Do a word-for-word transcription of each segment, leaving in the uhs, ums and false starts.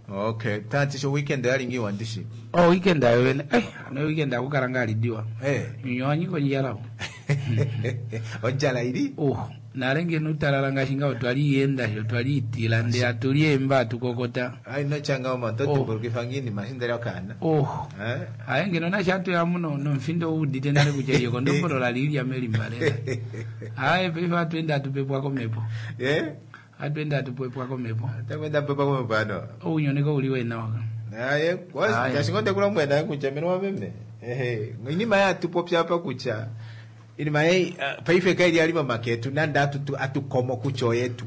Okay, tati sho weekend yali ngiwa ndishi. Oh, weekend ayo wene. Eh, ano weekend akukala nga alidiwa. Eh. Nyonyi konjala. Onjala ili? Oh, nale ngeno utalala ngaashi ngaho twali yenda sho twali itila nde atuli emba atukokota. Ai no changa oma Oh. totimbulukifa ngini mashindele okana. Oh. Eh? Aye ngeno nasho atuya muno nomfindo uudite nale kutya iyo kondombolola lilya melimbalela. Aye paife atuenda atupepwa komepo. Eh? Atuenda atupepwa komepo. Takwenda pepa kwa mpano. Ounyoneka uli wena waka. Aye, kwa Aye. kashingo kula mwena kucha meno wameme. Ehe, inima ya tupopya hapa kucha. Inima yei uh, paife kaili alima maketu nanda atu atukomo kucho yetu.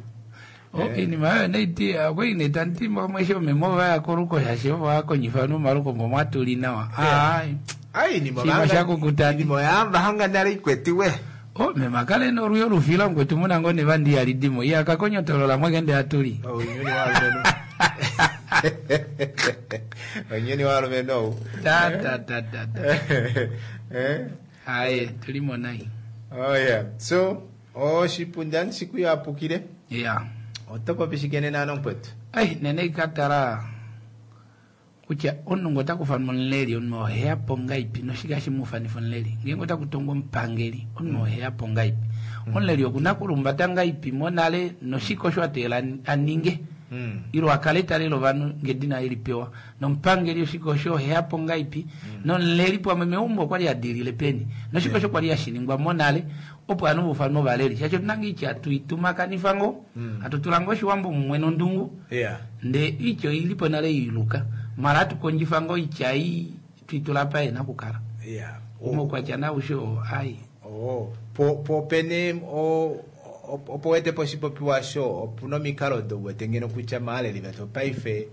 Okay, ni mayo naiti akwine tanti mwesho memo ya koruko shasho wakonyifa no maruko mwatuli nawa. Ai. Ai ni Chima mabanga. shakukutani. Ni moyamba hanga nare ikwetiwe. O memakale noruyo rufila ngwe tumuna ngo ne bandi alidimo. Ya kakonyotolola mwagende atuli. Oh, nyoni walumeno. Onyoni walumeno. Ta ta ta ta. ta. Eh? Aye, tulimo nai. Oh yeah. So, oh shipundani siku yapukile. Yeah. Otopopishikene nano mkwetu. Ai, nene ikatara kutya omunhu otakufa nomuleli omunhu oheyapo ngaipi noshike hashi mufanifa omuleli ngeenge otakutongwa omupangeli omunhu oheyapo ngaipi omuleli okuna kulumbata ngaipi monale noshike osho ateela aninge Mm. ilo akale talela ovanhu ngedina elipewa nomupangeli oshike osho oheyapo ngaipi nomuleli pamwe meumbo okwali adilile peni noshike osho kwali hashiningwa monale opo anu bufanwa ovaleli shaashi otuna ngeitya atuitumakanifa ngo Mm. atutula ngo oshiwambo mumwe nondungu Yeah. nde ityo ilipo nale iluka mala atukondjifa ngo itya i twitula pa yena kukala Yeah. omaukwatya nausho ai Oh, po po pene o o- opo wete po shipopiwa sho opuna omikalo dowete ngeno kutya maaleli vetu paife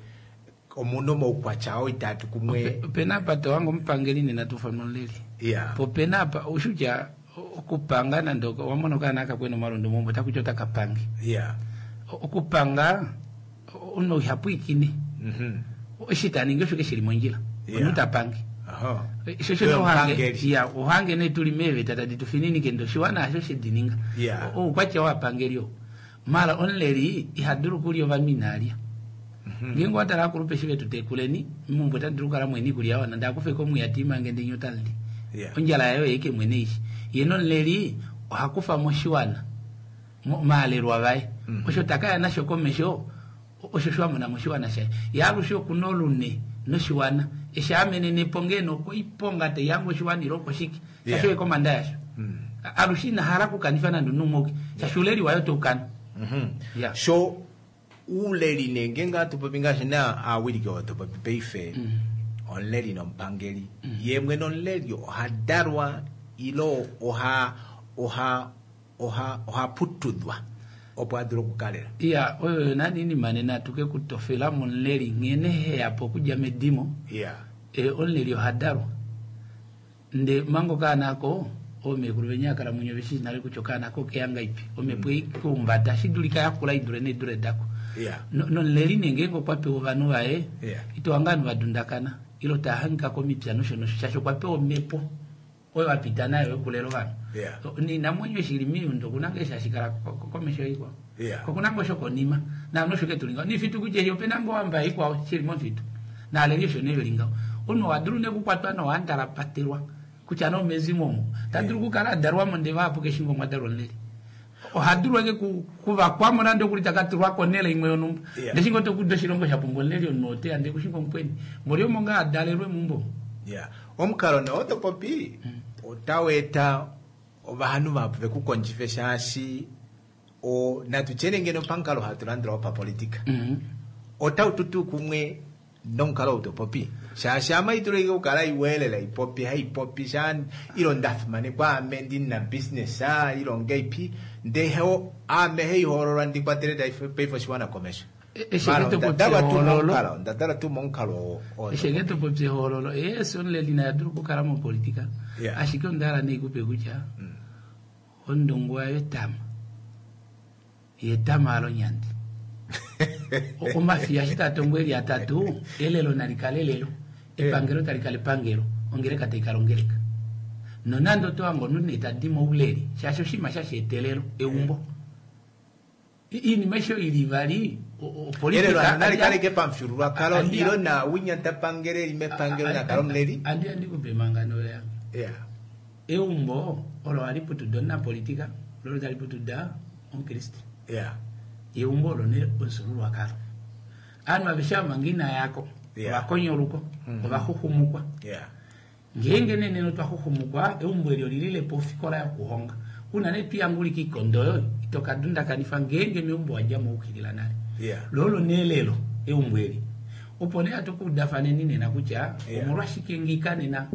omuna omaukwatya oo itatu kumwe. opena apa towange omupangeli nena tufanwa omuleli Yeah. po pena apa ushutya okupanga nande wamona okaana akakwena omalondo mombo takutya otakapange Yeah. okupanga omunhu ihapwiikine Mhm. eshi taningi osho ke shili mondjila Yeah. omunhu tapange Aha. shosho Oyo nohange omupangeli. ya ohange ne tuli meeveta tadi tufininike ndo oshiwana hasho shedininga Yeah. oukwatya wapangeli oo mala omuleli ihadulu okulya ovanhu inaalya ngeenge watala akulupe eshi vetutekuleni meumbo otadulu okukala mwene ikulya yawana ndee akufeko omwiya tiimange ndee nye otalili Yeah. ondjala yayo yeike mwene ishi ye nomuleli ohakufa moshiwana mo- maalelwa vaye Mhm. osho takaya nasho komesho osho shwamona moshiwana shaye ye alushe okuna olune noshiwana eshi amenenepo ngeno okoiponga teiyange oshiwana ile okoshike Yeah. shasho ekomanda yasho Mm. alushe inahala okukanifa nande omunhu shaashi uleli wayo toukana Mhm. Yeah. So uleli ne ngeenge atupopi ngaashi na aawiliki oo topopi paife Mm. omuleli nomupangeli ye mwene omuleli oha dalwa ilo oha oha oha ohaputudwa opo adule okukalela. iya oyo nani inima nena atuke kutofela momuleli nghene heyapo okudja medimo Yeah. e, omuleli ohadalwa nde manga okaana ako oomekulu venya akalamwenyo veshi nale kutya okaana ako okeya ngaipi omhepo eikuumbata shidulika yakula idule needule dako Yeah. No- nomuleli nee ngeenge okwa pewa ovanhu vaye Yeah. itowanga ovanhu vadundakana ilo taahangika komipya nosho nosho shaashi okwa pewa omhepo oyo apita nayo yokulela ovanhu Yeah. ninamwenyo shili miundo okuna ngee shashikala ko- ko- komesho ikwao Yeah. kokuna ngoo shokonima naano osho ketulinga nifitu kutya eshi opena ngoo wamba ikwao shili mofitu naaleli osho nevelingaho omunhu owadulu nekukwatwa nowandalapatelwa kutya nomezimo omo tadulu okukala adalwamo ndee vahapu keshingo mwadalwa omuleli ohadulu eke ku- kuvakwamo nande okuli takatulwa konele imwe yonumba Yeah. ndeshingo tokuda oshilongo shapumbwa omuleli omunhu oteya ndee kushingo mukweni moli omo ngaa adalelwe mumbo Yeah. Omukalo nee otopopi otau eta ovanhu vahapu vekukondjife shaashi o natu tyene ngeno pamukalo hatu landula wopapolitika Mhm. otau tutu kumwe nomukalo ou topopi shaashi ama itulike okukala iweelela ipopi haipopi sha ilo ndafimanekwa ame ndina business a ilo ngeipi ndee heo ame heihoololwa ndikwatele taife- paife oshiwana komesho E- eshi Mara, ke topopi ndadalwa tuu ehoololo. momukalo ndadalwa tuu momukalo oo- oo Eshenge topopi ehoololo yes omuleli naye adulu okukala mopolitika Yeah. ashike ondahala neikupe kutya Mm. ondongo wayo etama yetama alonyandi O- omafiya eshi tatongo eli atatu elelo nalikale elelo epangelo talikala epangelo ongeleka taikala ongeleka nonande otowange omunhu nee tadi mouleli shaashi oshinima shasheetelelo eumbo Iinima aishe oyo ili ivali o- o- Elelo opolitika nali kaleke pamufyuululwakalo Andi- ilo na winya tapangele eli mepangelo nakala omuleli. andi andikupe emangano yange. Yeah. Eumbo olo hali putuda omunapolitika lolo tali putuda omukriste. Yeah. Eumbo olo ne omufyuululwakalo. Ovanhu aveshe ava manga ina yako Yeah. ovakonyoluko ovaxuxumukwa. Yeah. Ngeenge nee nena otwa xuxumukwa eumbo eli olililepo ofikola yokuhonga una nee twiyangulika ikondo oyo ito kadundakanifa ngeenge meumbo wadjamo waukilila nale. Yeah. Lolo nelelo eumbo eli opo nee hatu kuudafaneni nena kutya Yeah. omolwashike ngika nena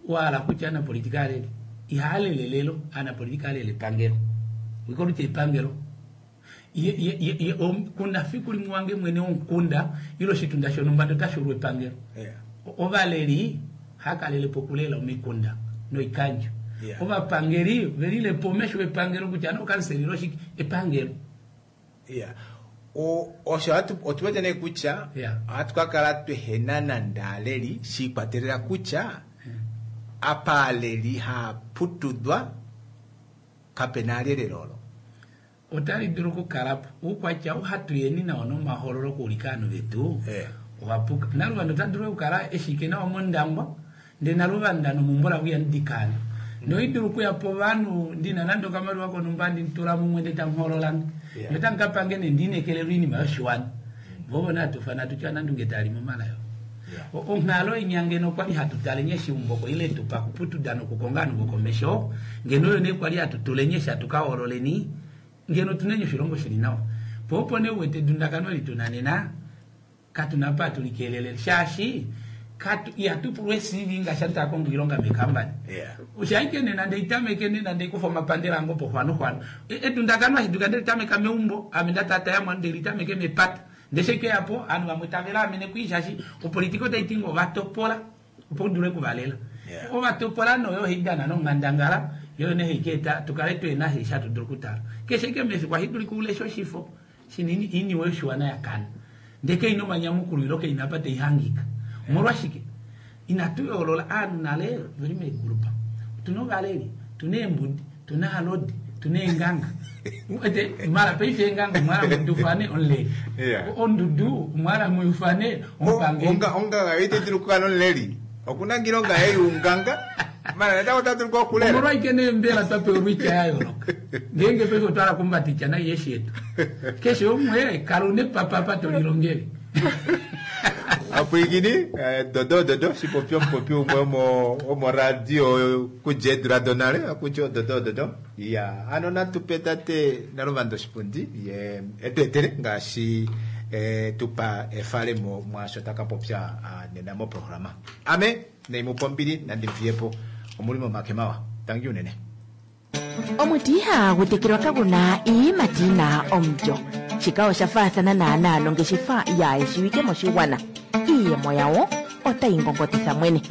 wahala kutya anapolitika alele ihaalele lelo anapolitika alele epangelo wikoluti epangelo Ye- ye- ye- ye- om- kuna fiku limwe wange mwene womukunda ilo oshitunda shonumba otashuulwa epangelo. Yeah. Ovaleli hakalelepo okulela omikunda noikandjo. Yeah. Ovapangeli velilepo omesho wepangelo kutya nokansela ilo shike epangelo. Yeah. O osho hatu otuwete nee kutya Yeah. ohatu ka kala twehena nande aaleli shiikwatelela kutya apa aaleli haaputudwa kapena alelelo olo. Otali dulu okukalapo oukwatya ou hatu yeni nawo nomahololo okuulika ovanhu vetu Eh. owapuka. Naluvanda ota dulu okukala eshike nawa mondangwa ndee naluvanda nomumbo lavo ihamudikana noidulu okuya povanhu ndina nande okamaliwa konumba nditula mumwe ndee tamuhoololange Yeah. notamukapange nee ndiinekelelwa oinima yoshiwana vovo natufana tutya nandunge tali momalayo. Yeah. O- onghalo inya ngeno kwali hatu tale nye shiumboko ile tupa kuputuda nokukonga ovanhu vokomesho ngeno oyo nee kwali hatu tule nye eshi hatu ka hoololeni ngeno tunenye oshilongo shili nawa po opo nee uwete edundakano eli tuna nena katuna apa hatu likelelele shaashi katu ihatu pulwa e C V ngaashi hatu takonga oilonga meekambani. Yeah. Ushaike nena ndeitameke nena ndeikufa omapandela ange opo xwano xwano. E- edundakano ashiduka ndelitameka meumbo ame ndatata yamwe ndelitameke mepata ndeshekeyapo ovanhu vamwe tave laamene kwii shaashi opolitika otaiti ngo ovatopola opo udule okuvalela. Yeah. Ovatopola noyo haidana nonghandangala yoyo nee haikeeta tukale twena eshi hatu dulu okutala keshe ike mefiku ahidulika ulesha oshifo shina iniwe yoshiwana yakana ndee keina omanyamukulo ilo keina apa taihangika omolwashike inatu yoolola ovanhu nale veli meegulupa tuna ovaleli tuna eembudi tuna alodi tuna eenganga ete mara paife eenganga omwala mudufane omuleli. Yeah. Ondudu omwala muyufane omupangeli. Onga onganga ite dulu okukala nomuleli okuna ngilonga yei unganga mara natango ota dulu okulela. Omolwaike nee mbela twapewa olwitya ya yooloka ngeenge paife otwala kumbatitya nai yeshi yetu keshe umwe kala una epapapa tolilongele. Apwiikini eh, dodo dodo shipopi omupopi umwe womo womoradio kudja eedula donale akutya ododo dodo ya ano natupe tate naluvanda oshipundi ye etu etele ngaashi eh, tupa efalemo mwaasho taka popya ah, nena moprograma ame neimupa ombili nandimfiyepo omuli momake mawa tangi unene. Omuti ihagu tekelwa kaguna iiyimati yina omulyo. Shika osha faathana naanaa nongeshefa yaayeshiwike moshigwana. Iiyemo yawo otayi ngongotitha mwene.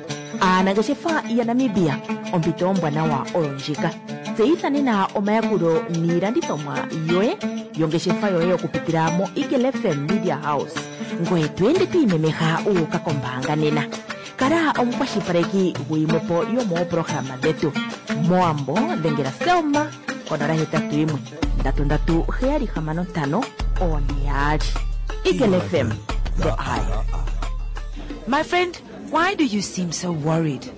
Aanangeshefa yaNamibia, ompito ombwanawa oyo ndjika. Tseyitha nena omayakulo niilandithomwa yoye yongeshefa yoye okupitila mo Eagle F M Media House. Ngoye to ende to imemeha wu uka kombaanga nena. Kala omukwashilipaleki guyimwepo yomoopolohalama dhetu. Mowambo dhengela Selma konola hetatu yimwe ndatu ndatu heyali hamano ntano one yaali. Eagle F M, the eye. My friend, why do you seem so worried?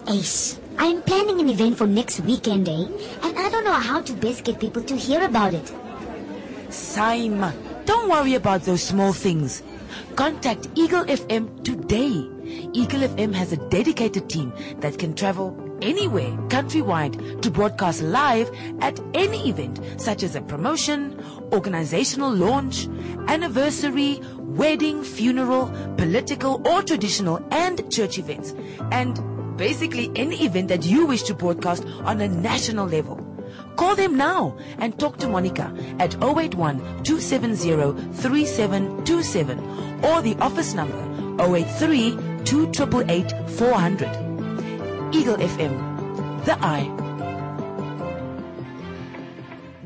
Ace, I'm planning an event for next weekend, eh? And I don't know how to best get people to hear about it. Saima, don't worry about those small things. Contact Eagle F M today. Eagle F M has a dedicated team that can travel anywhere countrywide to broadcast live at any event such as a promotion, organizational launch, anniversary, wedding, funeral, political or traditional and church events. And basically any event that you wish to broadcast on a national level. Call them now and talk to Monica at oh eight one two seven zero three seven two seven or the office number oh eight three two eight eight four hundred. Eagle F M, the eye.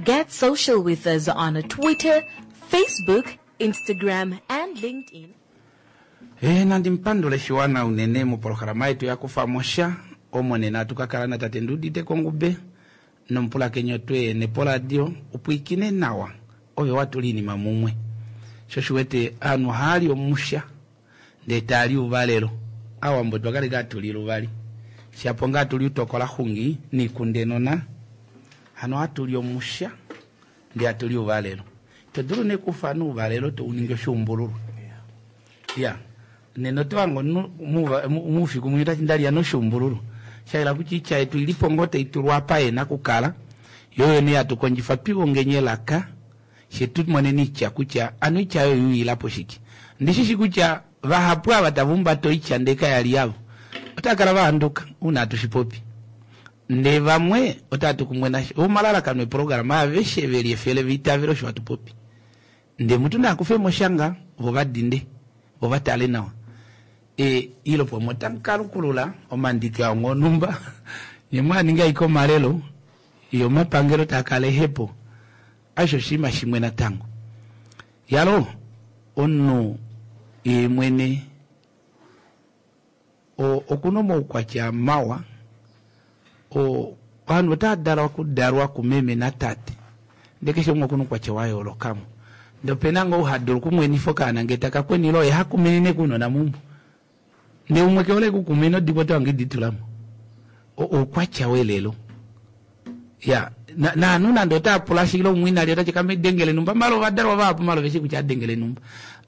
Get social with us on Twitter, Facebook, Instagram, and LinkedIn. E, nandi mpandule shiwana unene mopolohalama yetu ya kufa mosha omo nena tukakala na tate Nduudite Kongube Nomupulakeni oto ehene poradio upwiikine nawa ove watula iinima mumwe. Sho osho uwete ovanhu ohaali omusha ndee taali ouvalelo. Aawambo otwa kala ashike hatu li luvali shapo ngaa hatuli uutokola xungi niikunde nona. Hano ohatuli omusha ndee hatuli ouvalelo. Ito dulu nee okufana ouvalelo touningi oshuumbululwa. Iya, nena oto hange omunhu moufiku mwinya otati ndalya noshuumbululwa. Shayela kutya oitya yetu oilipo ngoo taitulwa apa yena okukala yoo oyo nee hatu kondjifa twihongeni elaka fyee tumoneni oitya kutya hano oitya aayo oyuuyilapo shike. Ondishishi kutya vahapu ava tava humbata oitya ndee kayali yavo otaakala vahanduka ouna hatu shipopi ndee vamwe otaatu kumwe nasho. Omalalakano eprograma aveshe veli efele vaitavele osho hatu popi ndee mutu naakufemo oshanga vo vadinde vo vatale nawa. E ilopomwe otamukalukulula omandiki ao onhumba nyee mwaaninga ashike omalelo yo omapangelo taakala ehepo aishe oshinima shimwe natango. Yalo omunhu yeemwene okuna omaukwatya mawa ovanhu otava okudalwa kumeme natate ndee keshe umwe okuna oukwatya wayoolokamo ndee opena ngoo ou hadulu okumwenifa okaana ngee taka kwenile oye hakumenene kounona meumbo ndee umwe kehole okukumena odibo otohange editulamo oukwatya welelo. Ya naanhu nande otaapula shile umwe inalya otati kamedengele numba mala ovadalwa vahapu mala oveshi kutya adengele numba.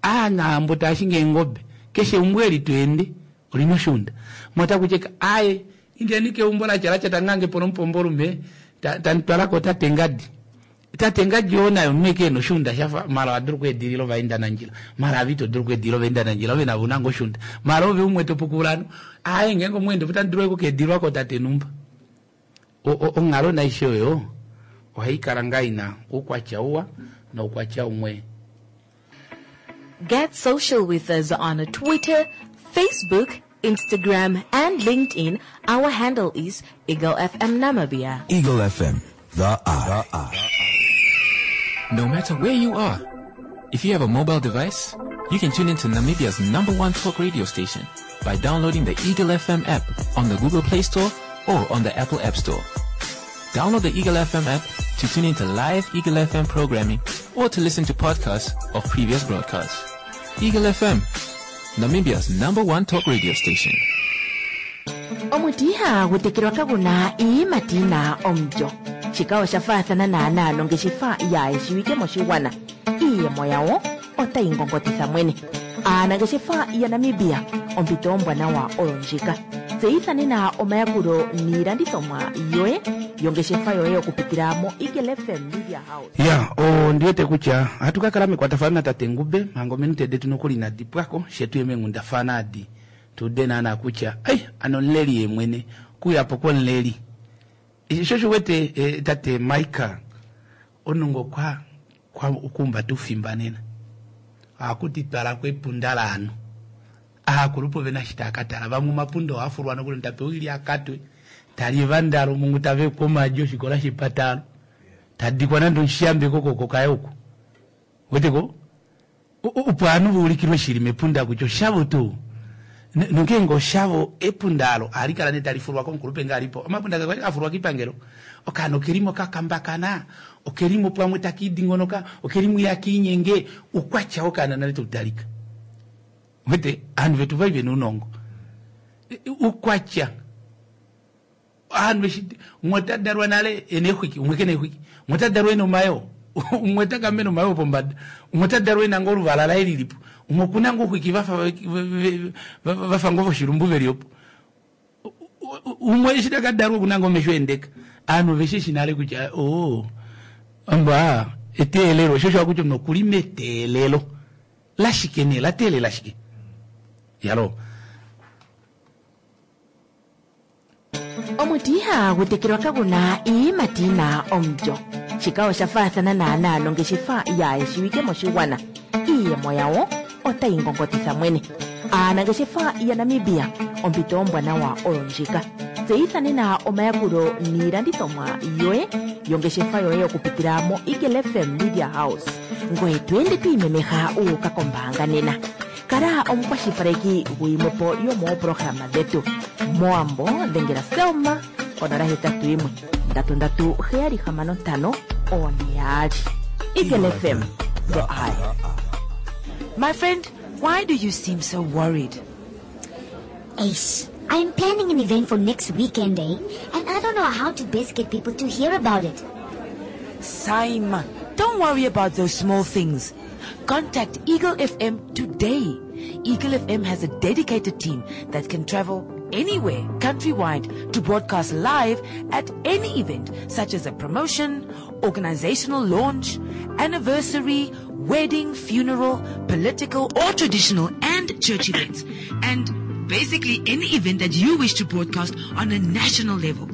Aanahambo taashingi eengobe keshe eumbo eli tweende olina oshuunda motakutya aaye indeni keumbo latyalaty tangangepo nomupombolume tamutwalako tate ngadi. Tate ngadi oo naye omunhu ashike ena oshuunda shafa mala ohadulu okweedilila ovaendanandjila mala ave ito dulu okweedilila ovaendanandjila ove navo ouna ngoo oshuunda mala ove umwe topukula hano aaye ngeenge omweenda opo tamu dulu okukeedililwa kootate numba. Onghalo naaishe oyo ohaikala ngaa ina oukwatya uwa noukwatya umwe. Get social with us on Twitter, Facebook, Instagram and LinkedIn. Our handle is Eagle F M Namibia. Eagle F M, the eye. The eye. No matter where you are, if you have a mobile device, you can tune into Namibia's number one talk radio station by downloading the Eagle F M app on the Google Play Store or on the Apple App Store. Download the Eagle F M app to tune into live Eagle F M programming or to listen to podcasts of previous broadcasts. Eagle F M, Namibia's number one talk radio station. Omuti ihagu tekelwa kaguna iiyimati yina omulyo. Shika osha faathana naanaa nongeshefa yaayeshiwike moshigwana. Iiyemo yawo otayi ngongotitha mwene. Aanangeshefa yaNamibia, ompito ombwanawa oyo ndjika. Tseyitha nena omayakulo niilandithomwa yoye yongeshefa yoye okupitila moEagle F M Media House. Ya, ondiwete kutya ohatu ka kala mekwatafano natate Ngube manga ominute detu nokuli inadi pwako she tuye meenghundafana adi tuude naana kutya ai ano omuleli yeemwene okuuyapo kwomuleli sho osho uwete tate Michael omunhu ngoo kwa okuumbata oufimba nena ohaku twalako epunda laanhu aakulupe ovena eshi taakatala vamwe omapunda ohaafulwa nokuli tapewa oilya akatwe tali evandalo mungu tavekwa omaadi oshikola shepatalo tadikwa nande omushiyambe kokoko kaye oku weteko opo ovanhu vaulikilwe shili mepunda kutya oshavo tuu nongeenge oshavo epunda alo ohali kala nee talifulwa komukulupe ngee alipo omapunda kakwali afulwa kiipangelo okaana okelimo kakambakana okelimo pamwe takiidingonoka okelimo ihakiinyenge oukwatya wokaana nale tautalika wete ovanhu vetu vali vena ounongo oukwatya ovanhu eshi umwe otadalwa nale ena eexwiki umwe kena eexwiki umwe otadalwa ena omayoo umwe otakamena omayoo pombada umwe otadalwa ena ngoo oluvala laye lilipo umwe okuna ngoo ouxwiki vafa vafa ngoo voshilumbu veli opo umwe eshi takadalwa okuna ngoo omesho eendeka ovanhu oveshishi nale kutya oo amba eteelelo sho osho hakutya omunhu okuli meteelelo lashike nee lateelela shike yalo. Omuti ihagu tekelwa kaguna iiyimati yina omulyo. Shika osha faathana naanaa nongeshefa yaayeshiwike moshigwana. Iiyemo yawo otayi ngongotitha mwene. Aanangeshefa yaNamibia, ompito ombwanawa oyo ndjika. Tseyitha nena omayakulo niilandithomwa yoye yongeshefa yoye okupitila moEagle F M Media House. Ngoye to ende to imemeha wu uka kombaanga nena. Kala omukwashilipaleki guyimwepo yomooprograma dhetu. Mowambo dhengela Selma konola hetatu yimwe Ndatu ndatu heyali hamano ntano one yaali. Eagle F M, the eye. My friend, why do you seem so worried? Ace, I'm planning an event for next weekend, eh? And I don't know how to best get people to hear about it. Saima, don't worry about those small things. Contact Eagle F M today. Eagle F M has a dedicated team that can travel anywhere countrywide to broadcast live at any event such as a promotion, organizational launch, anniversary, wedding, funeral, political or traditional and church events. And basically any event that you wish to broadcast on a national level.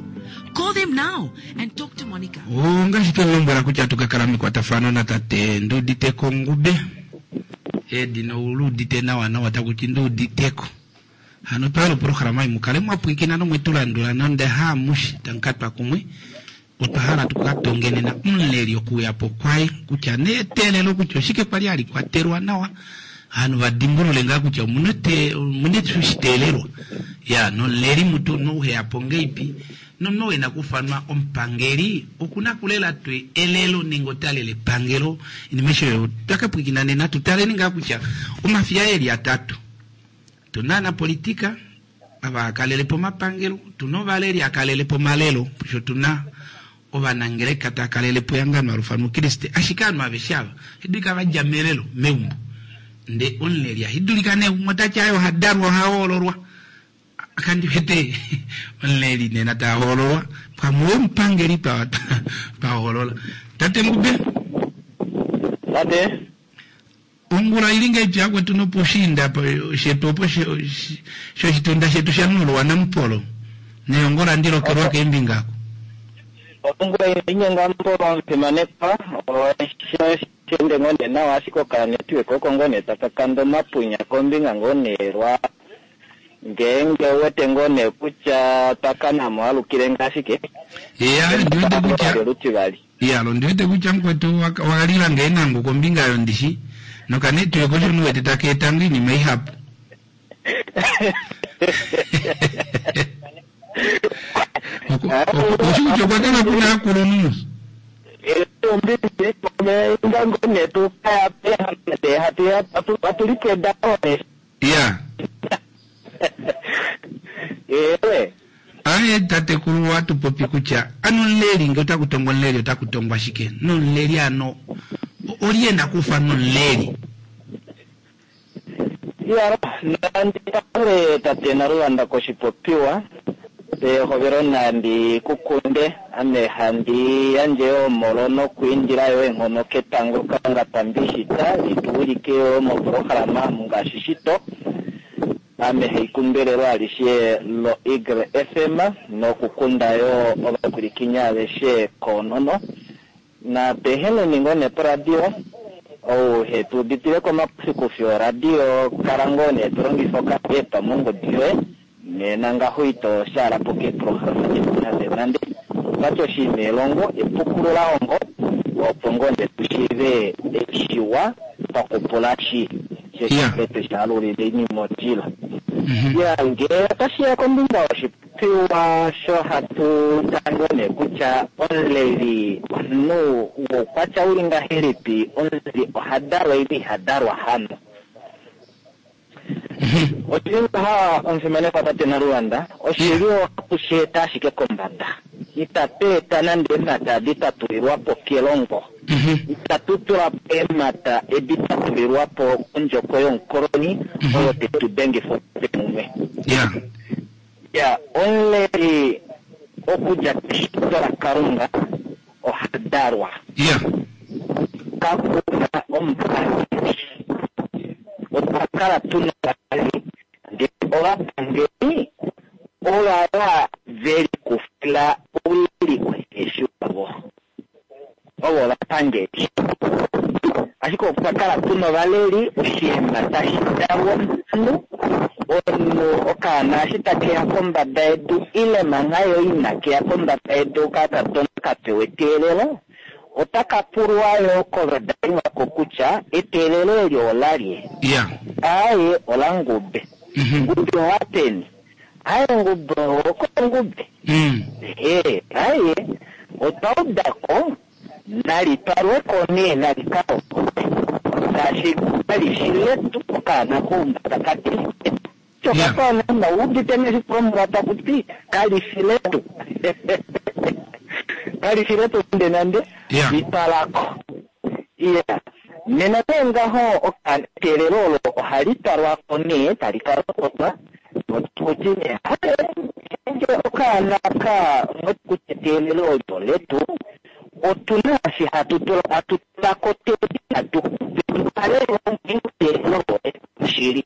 Call them now and talk to Monica. Ongaashi twa lombwela kutya tukakala mekwatafano natate Nduuditeko Ngube edina uluudite nawa nawa takuti Nduuditeko hano twala oprograma mukale mwapwikina nomwetulandula nonde haamushi tamukatwa kumwe otwa hala tukatongenena omuleli okuyapo kwaye kutya neetelelo kutya oshike kwali alikwatelwa nawa hano vadimbulule ngaa kutya omuna shiteelelwa ya nomuleli mutu nouheyapo ngeipi nomunhu wena kufanwa omupangeli okuna kulela twe elelo nenge otalele epangelo inima esho twakapwikina nena tutaleni ngaa kutya omafiya eli atatu tuna anapolitika ava akalelepo omapangelo tuna ovaleli akalelepo omalelo sho tuna ovanangeleka takalelepo ehangano alufanwa ukriste ashike ovanhu aveshe ava ohadulika vadja melelo meumbo nde omuleli ahidulika nee umwe otati aye ohadalwa ohahoololwa kandi wete omuleli nena tahoololwa pamwe omupangeli twahoolola tate Ngube. Tate. Ongula ili ngeipi yakwetu noposhiinda shetu opo shoshitunda shetu shaNulwa naMupolo neyongola ndilokelwa keembinga ako. Ongula inyenga Mpolo omufimanekwa shende ngoo nee nawa ashike okanetiweka oko ngoo nee takakanda omapunya kombinga ngoo nee lwa ngeenge uwete ngoo nee kutya twakanamo alukile ngashike. Ya ndiwete kutya lutivali. Ya lo ndiwete kutya mukwetu wakalila ngeenango kombinga yondishi nokanetiweka osho nuwete takeetanga iinima ihapu. Oshi kutya okwa kala kuna akulunhu. Ya aye tatekulu watupopi kutya ano omuleli nge otakutongwa omuleli otakutongwa shike nomuleli ano oliye nakufa nomuleli. Ya nandi tate Naluvanda koshipopiwa pehovelo nandi kukunde ame handi yandje omolo nokwiindila yo eenghono ketango Kalunga tambishita lituwilike yo moprograma ngaashi shito ame haikumbelelo alishe lo Eagle F M nokukunda yo ovakwilikinya aveshe koonono na peheneni ngoo nee poradio ou hetu uditile komakufi oradio kala ngoo nee tulongifa okaepa mongodi yoye nena ngaho ito shaalapo keeprograma detu nande nande okwati oshiima elongo epukulula hongo opo ngoo nee tushiive eshiwa pakupula shi sheshipete shaalulile inima odila. Ya ngee otashiya kombinga yoshipopiwa sho hatu tango nee kutya omuleli omunhu woukwatya uli ngahelipi omuleli ohadalwa ile ihadalwa hano oshili ngaha omufimanekwa tate Naluvanda oshili ohatu sheeta ashike kombada itatu eta nande eemhata edi tatulilwapo kelongo itatu tulapo eemhata edi tatulilwapo kondjoko yomukoloni oyo tetu dengifa mumwe. Ya omuleli okudja keshito laKalunga ohadalwa kakuna omupangeli otwa kala tuna ovaleli ndee ovapangeli ovava velikufila ouleli uheshi wavo ovo ovapangeli ashike okwa kala tuna ovaleli oshiima tashi dalwa omunhu omunhu okaana eshi takeya kombada yedu ile mangha yo ina keya kombada yedu okakadona kapewa eteelelo otaka pulwa yo kovadali vako kutya eteelelo eli olalye aye ola Ngube Ngube owapeni aye Ngube okongube e aye Otwa udako nali twalweko nee nali kalopotwe shaashi kali shi letu okaana koumbada kati chokakaana uudite neshipromola takuti kali shi letu kali shi letu nande nande litwalako iya nena nee ngaho eteelelo olo ohali twalwako nee tali kalopotwa notuti nee nge okaana ka kutya eteelelo olyo letu otuna shi hatu tula hatu tulako teti hatu tukale eteelelo shili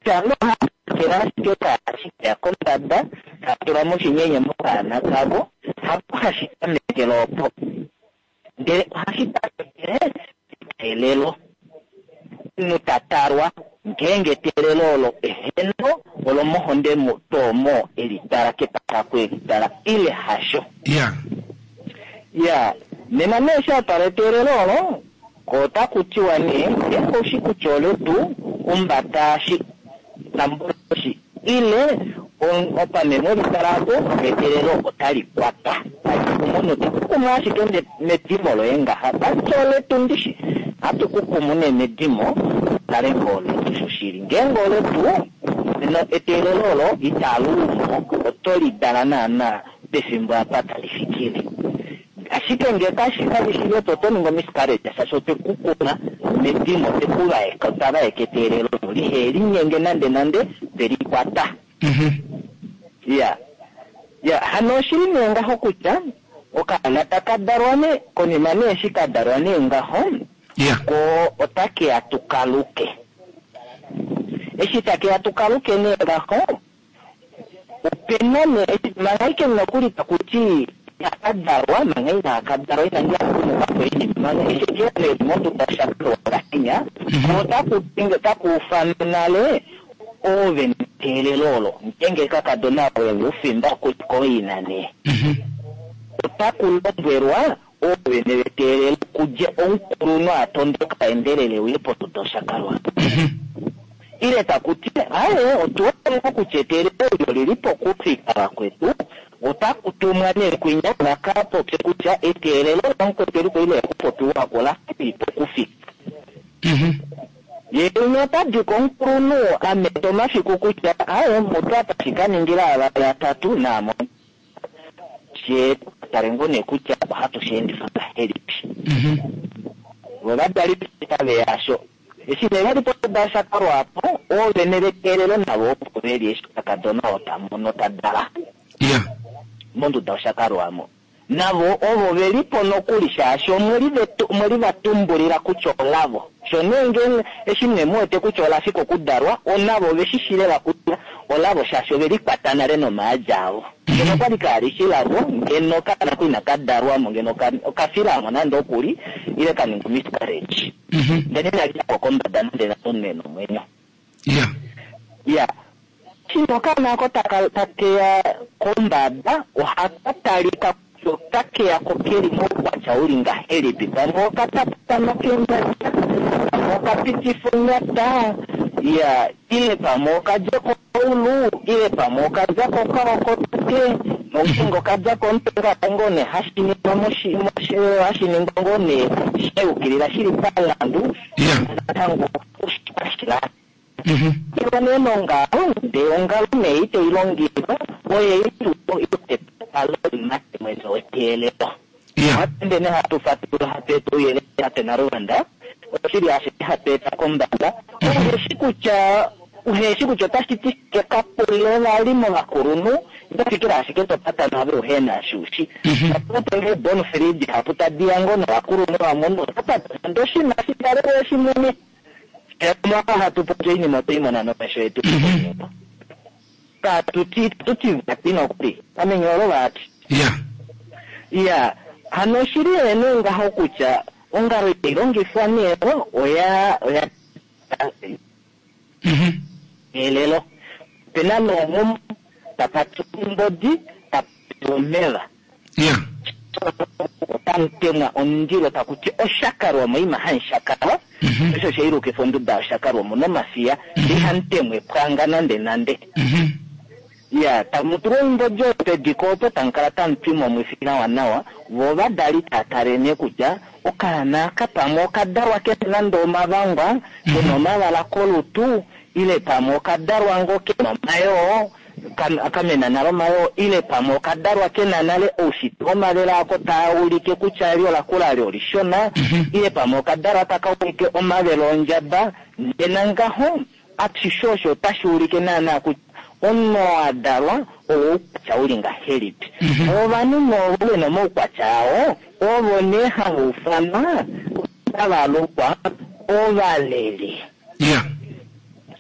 tano hakela ashike kaashikeya kombada tatula moshinyenye mokaana kavo hapo hashi tamekele opo ndele ohashi tamekele eteelelo omunhu tatalwa ngeenge eteelelo olo eheno olomohonde toomo elitala kepatako elitala ile hasho ya ya nena nee shatala eteelelo olo ko otaku tiwa nee ngeenge oushi kutya oletu umbata shi tambulashi ile opamemo litalako eteelelo otali kwata omunhu tekukumu ashike medimo loye ngaha tati oletu ndishi hatu kukumu nee medimo tale ngoo oletu shoshili ngeenge oletu eteelelo olo italuumo oto lidala naana pefimbo apa tali fikile ashike nge kashi kali shi letu oto ningi omiscarriage shaashi otekukuma medimo tekuvaeka otavaeka eteelelo lihe linyenge nande nande telikwata ya ya hano oshili nee ngaho kutya okaana taka dalwa nee konima nee eshi ka dalwa nee ngaho ko otakeya tukaluke eshi takeya tukaluke nee ngaho opena nee manga ike nokuli takuti akadalwa manga ina akadalwa inangi akumukapo inima manga eshi keya nee monduda shakalwa ngahenya otaku nale ove neteelelo olo ngeenge kakadona oye ufimba koina nee otaku lombwelwa oovene veteelelo kudje omukulunhu atondoka endelele uye ponduda oshakalwa ile takuti aye otuwona kutya eteelelo olyo lili pokufika vakwetu otaku tumwa nee kwinya vakapopye kutya eteelelo lamukwetu eliko ile kupopiwako lali pokufika ye umwe otadi komukulunhu ameta omafiku kutya aye mutu apa shikaningila avali atatu naamo she tale ngoo nee kutya ohatu sheendifa ngahelipi vo vadali taveya eshi nee vali ponduda yashakalwa apo oovene veteelelo navo opo veli eshi kakadona oo tamono tadala monduda oshakalwamo navo ovo velipo nokuli shaashi omweli vatumbulila kutya olavo sho nee ngeenge eshi nee muwete kutya olafika okudalwa onavo oveshishile kutya olavo shaashi ovelikwata nale nomaadja avo ngeno okwali kaalishi lavo ngeno kaana ku inaka dalwamo ngeno okafilamo nande okuli ile kaninga miscarriage ndele inali yako kombada nande nande nomwenyo ya shino okaana ako takeya kombada ohaka talika otakeya ko keli moukwatya uli ngahelipi pamwe okatapatano kenyata pamwe okapitifa onyata ya ile pamwe okadja koulu ile pamwe okadja kokaokote nongeenge okadja komutwe ngoo nee hashi ningwa hashi ningwa ngoo nee shayukilila shili palandu natango oshila ilwa nee nongalo ndee ongalo nee itei longifwa oye itualo mwene weteelelo ohatende nee hatu fatula hatu eta ouyelele tate Naluvanda oshili ashike hatu eta kombada uheshi kutya uheshi kutya otashi ti shike kapule vali movakulunhu itofikila ashike topata nave uhena shushi aputenge bonfrid hapu tadiya ngoo novakulunhu vamwe otapata nande oshinima shikale shimwene hatu popi oinima otoi nomesho yetu katuti tuti vati nokuli amenyolo vati ya hano oshili nee ngaho kutya ongalo itailongifwa nee oya oya elelo pena nomumu tapatu ombodi tapati omeva otamutemwa omundilo takuti oshakalwamo ima hamushakalwa osho sheilukifa onduda yoshakalwamo nomafiya ihamutemwa epwanga nande nande Ya, tamu tulwa oimbodi oyo pediko opo tamu kala tamu twima omwifi nawa nawa, vo ovadali tava tale nee kutya okaana aka pamwe okadalwa kena nande omavangwa, kena omavala kolutu, ile pamwe okadalwa ngoo kena omayoo, kamena nale omayoo, ile pamwe okadalwa kena nale oushitwe womavele ako taa ulike kutya li olakula li olishona, ile pamwe okadalwa taka ulike omavele ondjaba. Nena ngaho ashishe osho otashi ulike naana kutya omunhu oo a dalwa owoukwatya uli ngahelipi. Ovanhu novo vena omaukwatya ao ovo nee hava ufanwa otava lukwa ovaleli.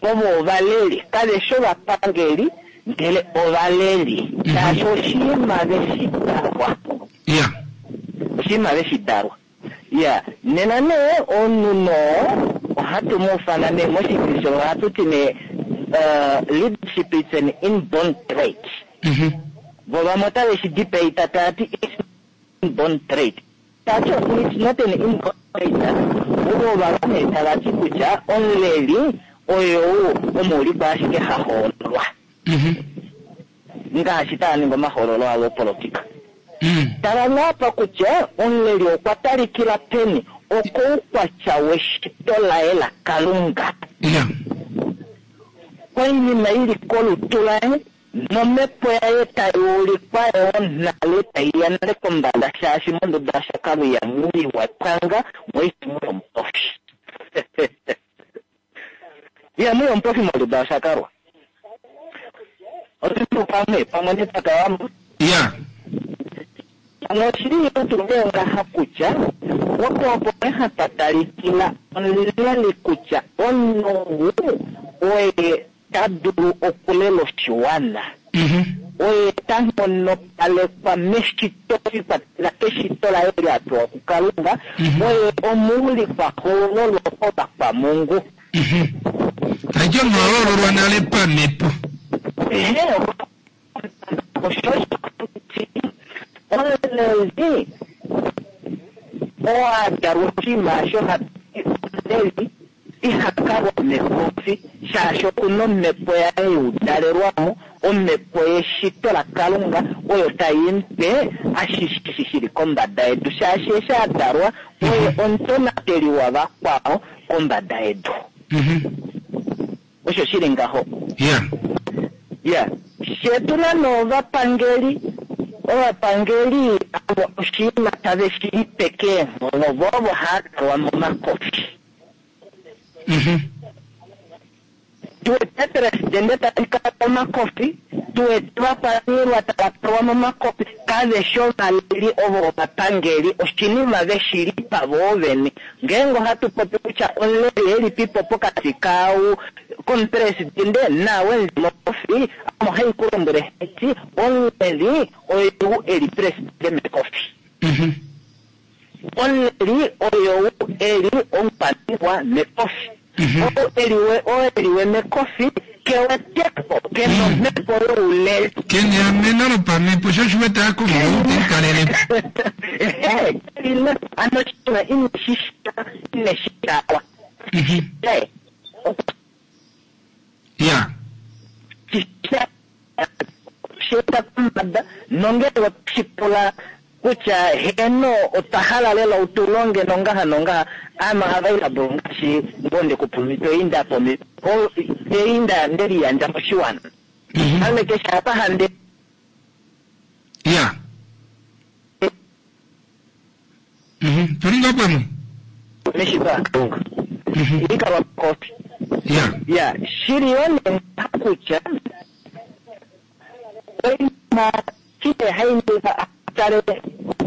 Ovo ovaleli, kave shi ovapangeli, ndele ovaleli. Shaashi oshinima veshi dalwa. Oshinima veshi dalwa. Ya, nena nee omunhu noo ohatu mu ufana nee moshikilisho ohatu ti nee Uh, leadership is an inborn trait. Vo vamwe otave shi debate tava ti it's inborn trait. Tati it's not an inborn trait. Ovo vamwe nee tava ti kutya omuleli oyo omuulikwa ashike ha hoololwa. Ngaashi tava ningi omahoololo avo opolotika. Tala naapa kutya omuleli okwa talikila peni okoukwatya weshito laye laKalunga. Oinima ili kolutu laye nomhepo yaye tai ulikwa yoo nale tai ya nale kombada, shaashi monduda yashakalwa ihamu iwa pwanga moihamu yomupofi. Ihamu yomupofi monduda yashakalwa. Otu pamwe pamwe netaka wamo. Ya. Ano oshili yetu ngaha kutya opo opo hapa talikila omuleli kutya omunhu oye ta dulu okulela oshiwana. Oye ta nghonopalekwa meshito likwatela keshito laye li a pewa kuKalunga. Oye omuulikwa hoololwa kovakwamungu. Taiti omuhoololwa nale pamhepo. Ehe, osho omuleli oo a dalwa oshinima osho omuleli iha kalwa mekofi, shaashi okuna omhepo yaye youdalelwamo, omhepo yeshito laKalunga oyo tai mupe ashishe shili kombada yedu, shaashi eshi a dalwa oye omutonateli wavakwao kombada yedu. Osho shili ngaho. Ya, shetu na ovapangeli, ovapangeli avo oshinima tave shi lipe keenghono, vo ovo hava dalwa momakofi. Tuwete presidente tali kalwa momakofi, tuwete ovakwaniilwa tava kalwa momakofi, kave shi ovaleli ovo ovapangeli, oshinima veshi lipa voo vene. Ngeenge ohatu popi kutya omuleli elipipo pokati kaau komupresidente naawe mokofi, ame ohai ku lombwele hati omuleli oyou eli presidente mekofi. Omuleli oyou eli omukwaniilwa mekofi. Oo eliwe mekofi keweteko kena omhepo youleli. Kena eameno lopamhepo, sho oshiwete akumwe teikalelepo. Ano oshinima ineshi sha ineshi dalwa. Ya. Sheta kombada nongele otashi pula kutya heno otwa hala lela utulonge nongaha nongaha, I'm available ngaashi ngonde kupumito inda pomi inda ndeli yandja moshiwana. Ame keshe apa hande. Ya. Mhm. Tulinga pamwe. Meshito laKalunga. Ikalwa kofi. Ya. Ya, shili yone kutya oinima kile hainiva atale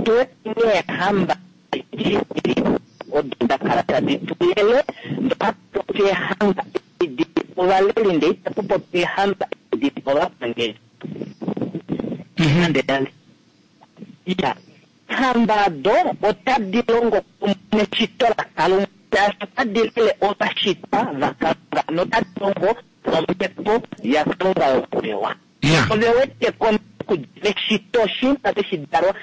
tuwete neehamba odo da kala tadi tulele, ndohatu eehamba edi ovaleli ndee itapu popi eehamba edi ovapangeli. Nande nande. Ya, eehamba do otadi longo kumwe neshito laKalunga, shaashi otadi lele ovashitwa vaKalunga notadi longo nomhepo yaKalunga yokupewa. Ove wete meshito oshinima veshi dalwa,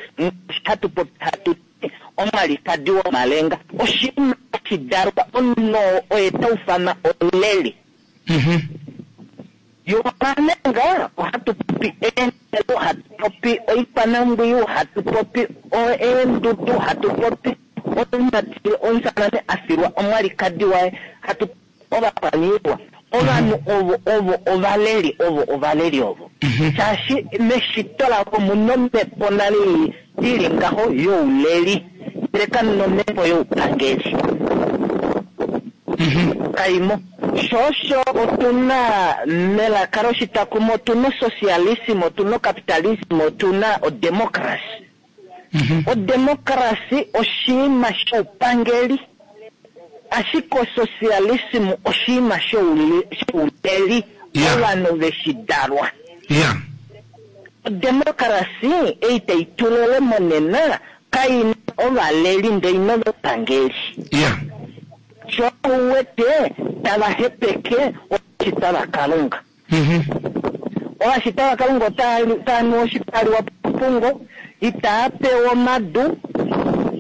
hatu popi hatu ti omwalikadi womalenga, oshinima shi dalwa omunhu oye ta ufanwa omuleli. Yomanenga ohatu popi eenhele, hatu popi oikwanambwiyu, hatu popi eendudu, hatu popi omumati omusamane a filwa omwalikadi waye, hatu ovakwaniilwa. Ovanhu ovo ovo ovaleli ovo ovaleli ovo. Shaashi meshito lavo omuna omhepo nale ili ngaho youleli, ndele kamuna omhepo youpangeli. Kaimo. Sho osho otuna melaka loshitakumo otuna osocialism, otuna ocapitalism, otuna odemocracy. Odemocracy oshinima shoupangeli, ashike osocialism oshinima shouleli, ovanhu veshidalwa. Odemocracy ei tai tulele monena kaina ovaleli ndele ina ovapangeli. Sho uwete tava hepeke ovashitwa vaKalunga. Ovashitwa vaKalunga otava nu oshipaliwa popungo, itaa pewa omadu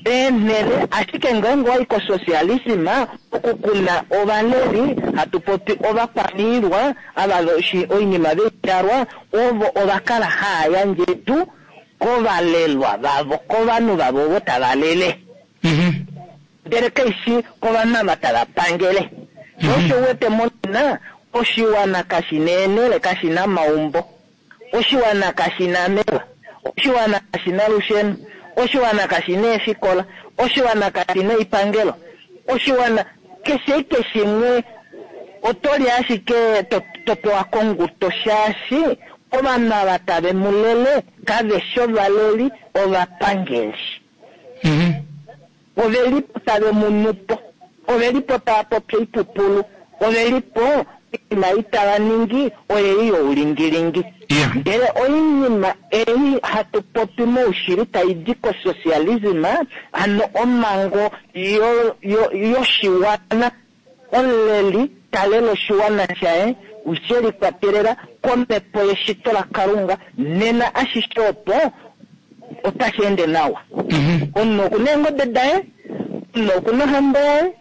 eenhele, ashike ngeenge owayi kosocialism okukuna ovaleli, hatu popi ovakwaniilwa ava oinima veidalwa, ovo ovakala haa yandje edu kovalelwa vavo, kovanhu vavo ovo tava lele. Ndele kaishi kovanhu ava tava pangele. Osho uwete monena oshiwana kashi na eenhele, kashi na maumbo, oshiwana kashi na meva, oshiwana kashi na lusheno, oshiwana kashi na eefikola, oshiwana kashi na oipangelo, oshiwana keshe keshimwe otoli ashike topewa konguto, shaashi ovanhu ava tave mu lele kaveshi ovaleli, ovapangeli. Ovelipo tave munupo, ovelipo tava popi oipupulu, ovelipo oinima ei tava ningi oyei youlingilingi. Ndele oinima ei hatu popi moushili tai di kosocialism, hano omhango yoshiwana, omuleli talele oshiwana shaye she likwatelela komhepo yeshito laKalunga, nena ashishe opo otashi ende nawa. Omunhu okuna eengobe daye, omunhu okuna ohambo yaye,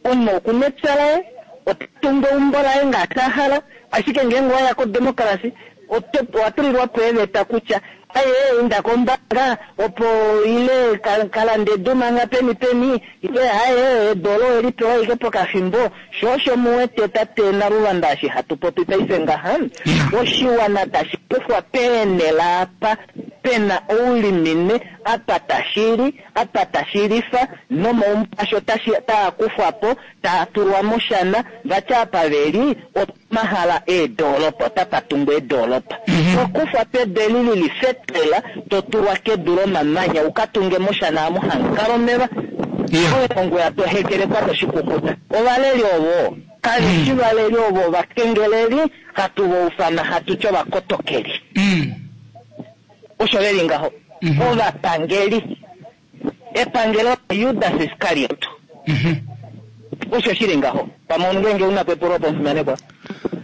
omunhu okuna epya laye, ota tungu eumbo laye ngaashi a hala. Ashike ngeenge owaya kodemocracy owa tulilwa po eeveta kutya aye inda kombaanga opo ile kalande edu manga peni peni, ile aye edu olo oweli pewa ashike pokafimbo. Sho osho muwete tate Naluvanda eshi hatu popi paife ngaha, oshiwana tashi kufwa peenhele apa pena oulimine, apa tashili, apa tashilifa, nomaumbo asho taa kufwa po, taa tulwa moshana, vati apa veli omahala eedolopa, otapa tungwa eedolopa. Tokufwa pedu eli lili fetela, totulwa kedu lomamanya ukatunge moshana amu hamukala omeva. Oye to hekelekwa toshikukuta. Ovaleli ovo kaveshi valeli ovo ovakengeleli, hatu voufana hatu ti ovakotokeli. Osho veli ngaho. Ovapangeli. Epangelo Judas Iscariot. Osho shili ngaho. Pamwe ngenge una pepulo opo mufimanekwa.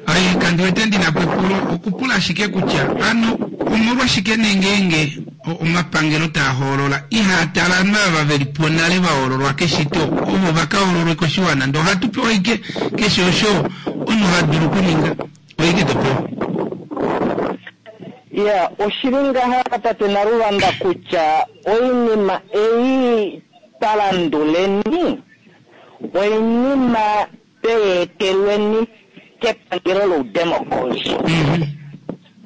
Ai kandi wete ndina pepulo okupula ashike kutya ano omolwashike nengenge omapangelo taa hoolola ihaa tala ovanhu ava veli po nale va hoololwa keshito ovo vaka hoololwe koshiwana, ndee ohatu pewa ike keshe osho omunhu ha dulu okuninga oike to pewa. Ya, oshili ngaha tate Naluvanda kutya oinima ei twalanduleni oinima tweetelweni kepangelo loudemocracy,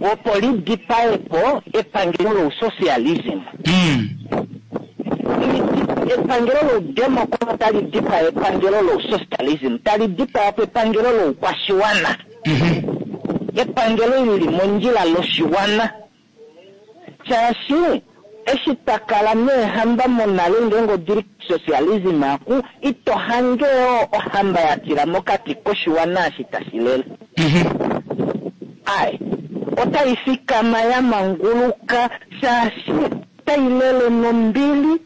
opo lidipae po epangelo lousocialism. Epangelo loudemocracy tali dipaa epangelo lousocialism, tali dipaa po epangelo loukwashiwana, epangelo lili mondjila loshiwana. Shaashi eshi twakala neehamba monale ngeenge odili socialism aku ito hange ohamba ya tila mokati koshiwana eshi tashi lele. Ai, otai fikama ya manguluka shaashi otai lele nombili,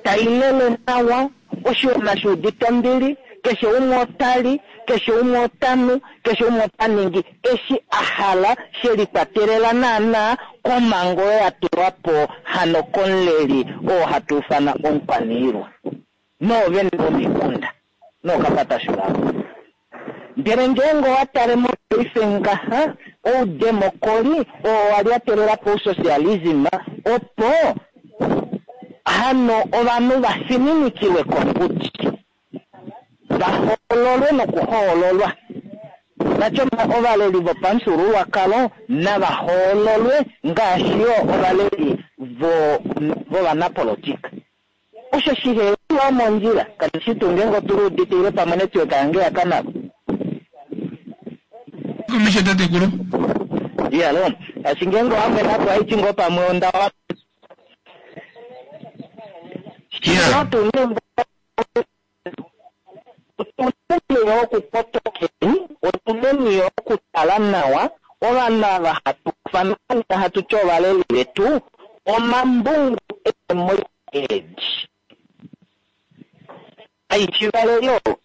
tai lele nawa, oshiwana shuudite ombili, keshe umwe otali, keshe umwe otanu, keshe umwe ota ningi eshi a hala, she likwatelela naana komhango oyo ya tulwa po hano komuleli oo hatu ufana omukwaniilwa noovene vomikunda nookapatashu vavo. Ndele ngeenge owa tale mopaife ngaha oudemokoli oo wa lyatelela pousocialism opo hano ovanhu va fininikilwe kongudi va hoololwe nokuhoololwa. Natyo ovaleli vopamufyuululwakalo nava hoololwe ngaashi yo ovaleli vovanapolitika. Osho shiheli mondjila kati shi tuu ngeenge otuli uditile pamwe network yange ya kanako. Komesho tatekulu. Iyalo, ashi ngeenge wamwe napo aiti ngoo pamwe onda wa. Otuneni okukotokeni, otuneni okutala nawa ovanhu ava hatu fana hatu ti ovaleli vetu omambungu emoedi. Kaishi valeli ovo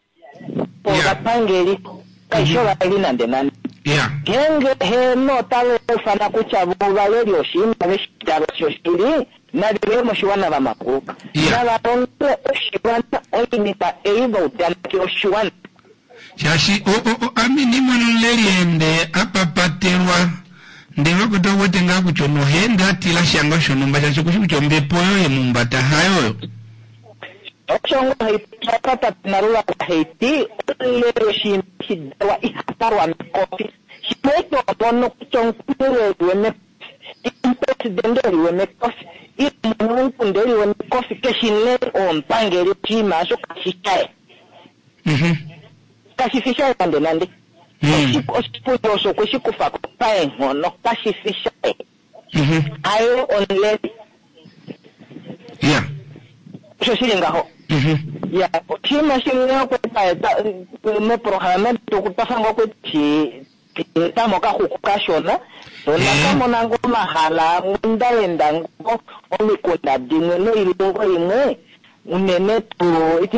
ovapangeli, kaishi ovaleli nande nande. Ngeenge heno otava ufana kutya vo ovaleli oshinima veshitalo shoshili, nave moshiwana va manguluka. Nava longele oshiwana oinima ei va udaneke oshiwana. Shaashi ame ndimona omuleli ende apapatelwa ndele vakweta uwete ngaa kutya onohenda atila shanga shonhumba shaashi okushi kutya ombepo oyo yemumbata hayo oyo. Osho ngo haipata nalula haiti omuleli oshinima shidalwa ihatalwa mekofi. Shimwe omono kutya omukuleli wemekofi, omupresidente eliwe mekofi, ile mwene womukunda eliwe mekofi, keshi ne omupangeli oshinima osho kashi shaye. Kashi fi shaye nande nande. Oshipundi osho okwe shi kufa ko paenghono, kashi fi shaye. Aye omuleli. Osho shili ngaho. Ya, oshinima shimwe okweta meprograma tukutafanga okweti tamo kaxuku kashona onakamona ngo omahala ndaenda ngo omikunda dimwe noilongo imwe unene tuu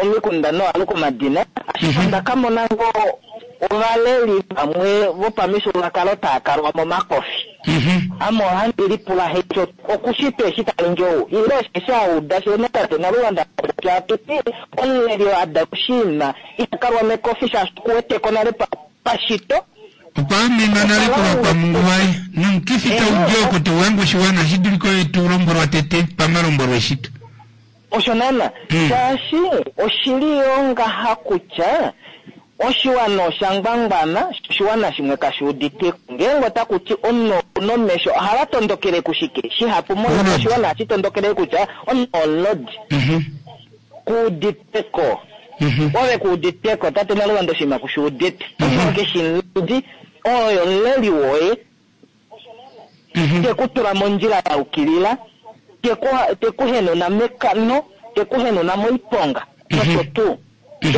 omikunda noaluka omadina ashike ndakamona ngo ovaleli vamwe vopamifyuululwakalo tava kalwa momakofi. Ame ohandi lipula hecho okushitwa eshi talingi ou ile osheshi auda shene tate Nalulanda popya atuti omuleli ada kushiima ihakalwa mekofi shaashi okuweteko nale pashito. Okwa amenwa nale kovakwamungu vaye nomukifi taudi oko tauhange oshiwana shi dulike oye tulombwelwa tete pamalombwelo eshito. Osho nana shaashi oshili yo ngaha kutya oshiwana osha ngwangwana, oshiwana shimwe kashi uditeko. Ngeenge otaku ti omunhu nomesho ohava tondokele kushike shihapu mono oshiwana hashi tondokele kutya omunhu omulodi kuuditeko. Ove kuuditeko tate Nalulanda oshinima kushiudite. Omunhu keshi mulodi oyo omuleli woye tekutula mondjila ya ukilila, tekuhenuna mekano, tekuhenuna moiponga nosho tuu.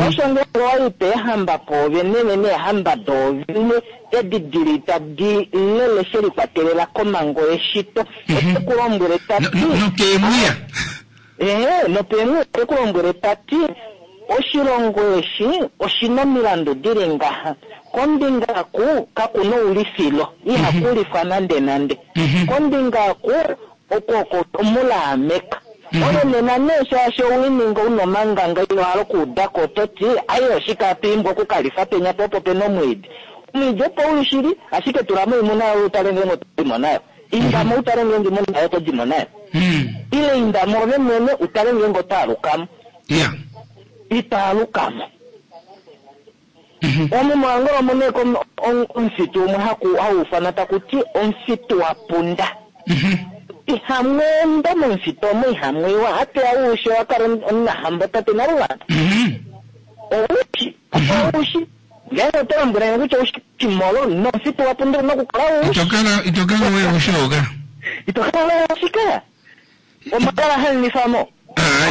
Osho ngeenge waipa eehamba poove nene neehamba doovene edi dili tadi lele she likwatelela komhango yeshito otekulombwele tati nokeemwiya. Ehe, nopeemwiya otekulombwele tati oshilongo eshi oshina omilandu dili ngaha. Kombinga ku kakuna oulifilo, ihakulifwa nande nande. Kombinga ku oko omulaameka. Ove nena nee shaashi owininga una omanganga ino hala okuudako ototi aye oshike atuimbwa okukalifa penya po opo pena omwiidi. Omwiidi opo uli shili ashike tulamo oimuna yoye utale ngeenge otodimo nayo. Indamo utale ngeenge imuna yoye otodimo nayo. Ile indamo ove mwene utale ngeenge otaalukamo. Itaalukamo. Omu moAngola omu nee omufitu umwe hau ufana taku ti omufitu wa punda. Ihamweenda momufitu omo ihamwiwa hatuya uushe wakala omunahambo tate Nalulanda. Oushi oushi ngeenge oto lombwele kutya oushi molo nomufitu wa punda una okukala oushi. Itokala itokala wewe ushoka. Itokala wewe ushika. Omakala hanifamo.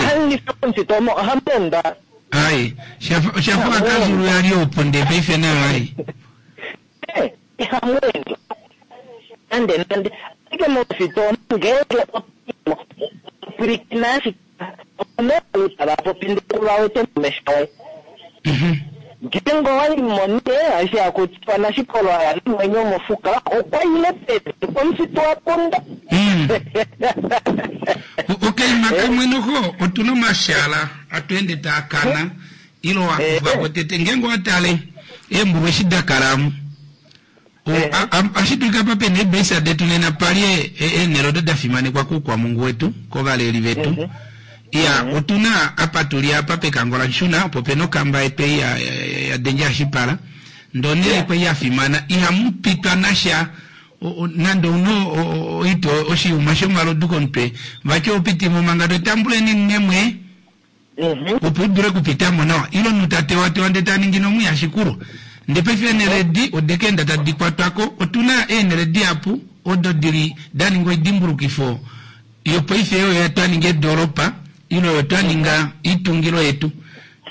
Hanifamo momufitu omo ohamweenda. Ai, shafa shafa kazulu yali oponde paife nayo ai. Ihamweenda. Nande nande ashike momufitu omo ngeenge pwilikina ashike omo tava popi ndele vawete momesho oye. Ngeenge owaimo nee ashi akutiwa nashikolo aya nomwenyo mofuka okwa ile pevi komufitu wa punda. Okaima kamwe noho otuna omashala atuende taakana ilo wakufako tete ngeenge owatale Eembulu eshi da kala amu. O, a- a- Ohashi dulika apa pena eebesa detu nena pali e- e- eenhele odo da fimanekwa kuukwamungu wetu, kovaleli vetu. Iya, otuna apa tuli apa pekango laNshuna, opo pena okamba yetu ei ya, ya, ya, ya Danger Ashipala. Ndoo onhele kwai ya fimana, ihamu pitwa nasha o- o- nande ouna o- o- oitwa oshiyuma shomalodu komutwe, vati oho piti mo manga to tambuleni nemwe opo u dule okupita mo nawa, ile omunhu ta tewatewa ndee ta ningi nomwiya shikulo. Ndee paife eenhele edi ode ka enda tadi kwatwa ko. Otuna eenhele dihapu odo dili da ninga oidimbulukifo yopaife oyo twa ninga edoolopa ile oyo twa ninga oitungilo yetu,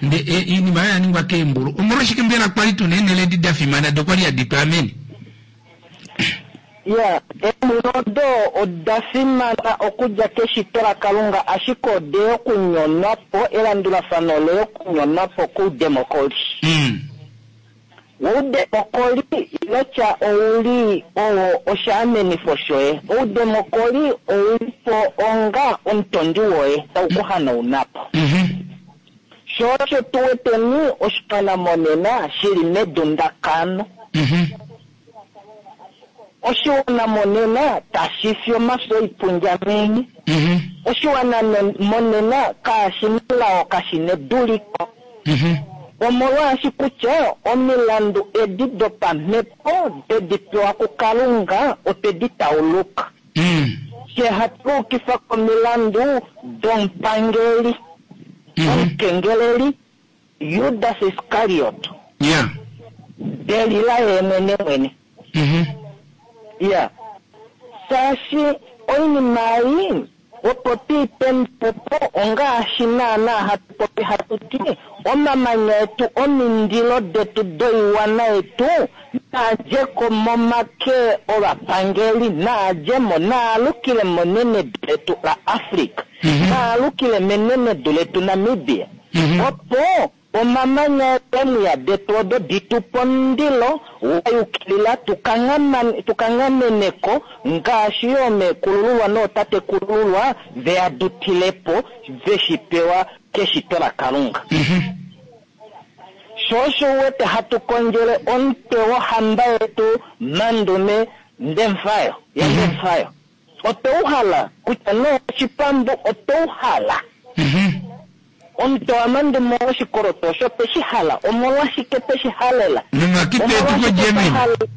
nde e, iinima oyo ya ningwa keembulu. Omolwashike mbela kwali tuna eenhele edi da fimana do kwali hadi twaamene? Ya, eembulu odo oda fimana okudja keshito laKalunga, ashike ode okunyonwa po, elandulafano ole okunyonwa po koudemokoli. Mm. Oudemokoli inotya ouli owo oshaamenifo shoye. Oudemokoli ouli po onga omutondi woye tau ku hanauna po. Mhm. Sho osho tu weteni oshiwana monena shili medundakano. Mhm. Oshiwana monena tashi fi omafyo oipundjamenye. Mhm. Oshiwana no- monena kashi nelao, kashi neduliko. Mhm. Omolwaashi kutya omilandu edi dopamhepo tedi pewa kuKalunga otwedi tauluka. Mm. Fye hatu yukifa komilandu domupangeli, Mhm. omukengeleli Judas Iscariot, Yeah. Delila ye mwene mwene. Mhm. Ya, shaashi oinima ei opo tuipendupo ongaashi naana hatu popi hatu ti omamanya etu omindilo detu doiwana yetu naadjeko momake ovapangeli, naadjemo, naalukile menenedu letu la Afrika, Mhm. naalukile menenedu letu Namibia, Mhm. opo omamanya eemwiya detu odo ditupe omundilo wa yukilila tukanghamane- tukanghamaneko ngaashi yo meekulululwa nootatekulululwa veya dutilepo veshi pewa keshito laKalunga. Mhm. Sho osho u wete hatu kondjele omutwe wohamba yetu Mandume Ndemfayo yaNdemfayo. Otwe u hala kutya nee oshipambu otwe u hala. Mhm. Omutwe waMandume woshikoloto osho twe shi hala. Omolwashike twe shi halela? Nomakipe etu Omolwashike twa koGermany. hale-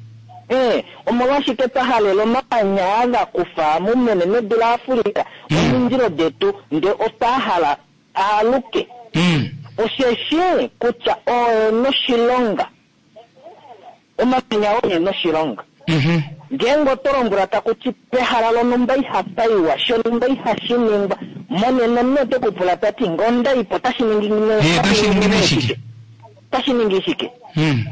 Eh, omolwashike twa halela omamanya ava kufa mumenenedu laAfrika omindilo detu nde otwa hala aaluke? Mm. Osheshi kutya oye noshilonga, omamanya oye noshilonga. Mhm. Ngeenge oto lombwela taku ti pehala lonhumba ihapa iwa, shonhumba ihashi ningwa, monena omunhu ote ku pula tati ngee onda ipo otashi ningi Eh, otashi ningi nee shike? Otashi ningi shike? Mm.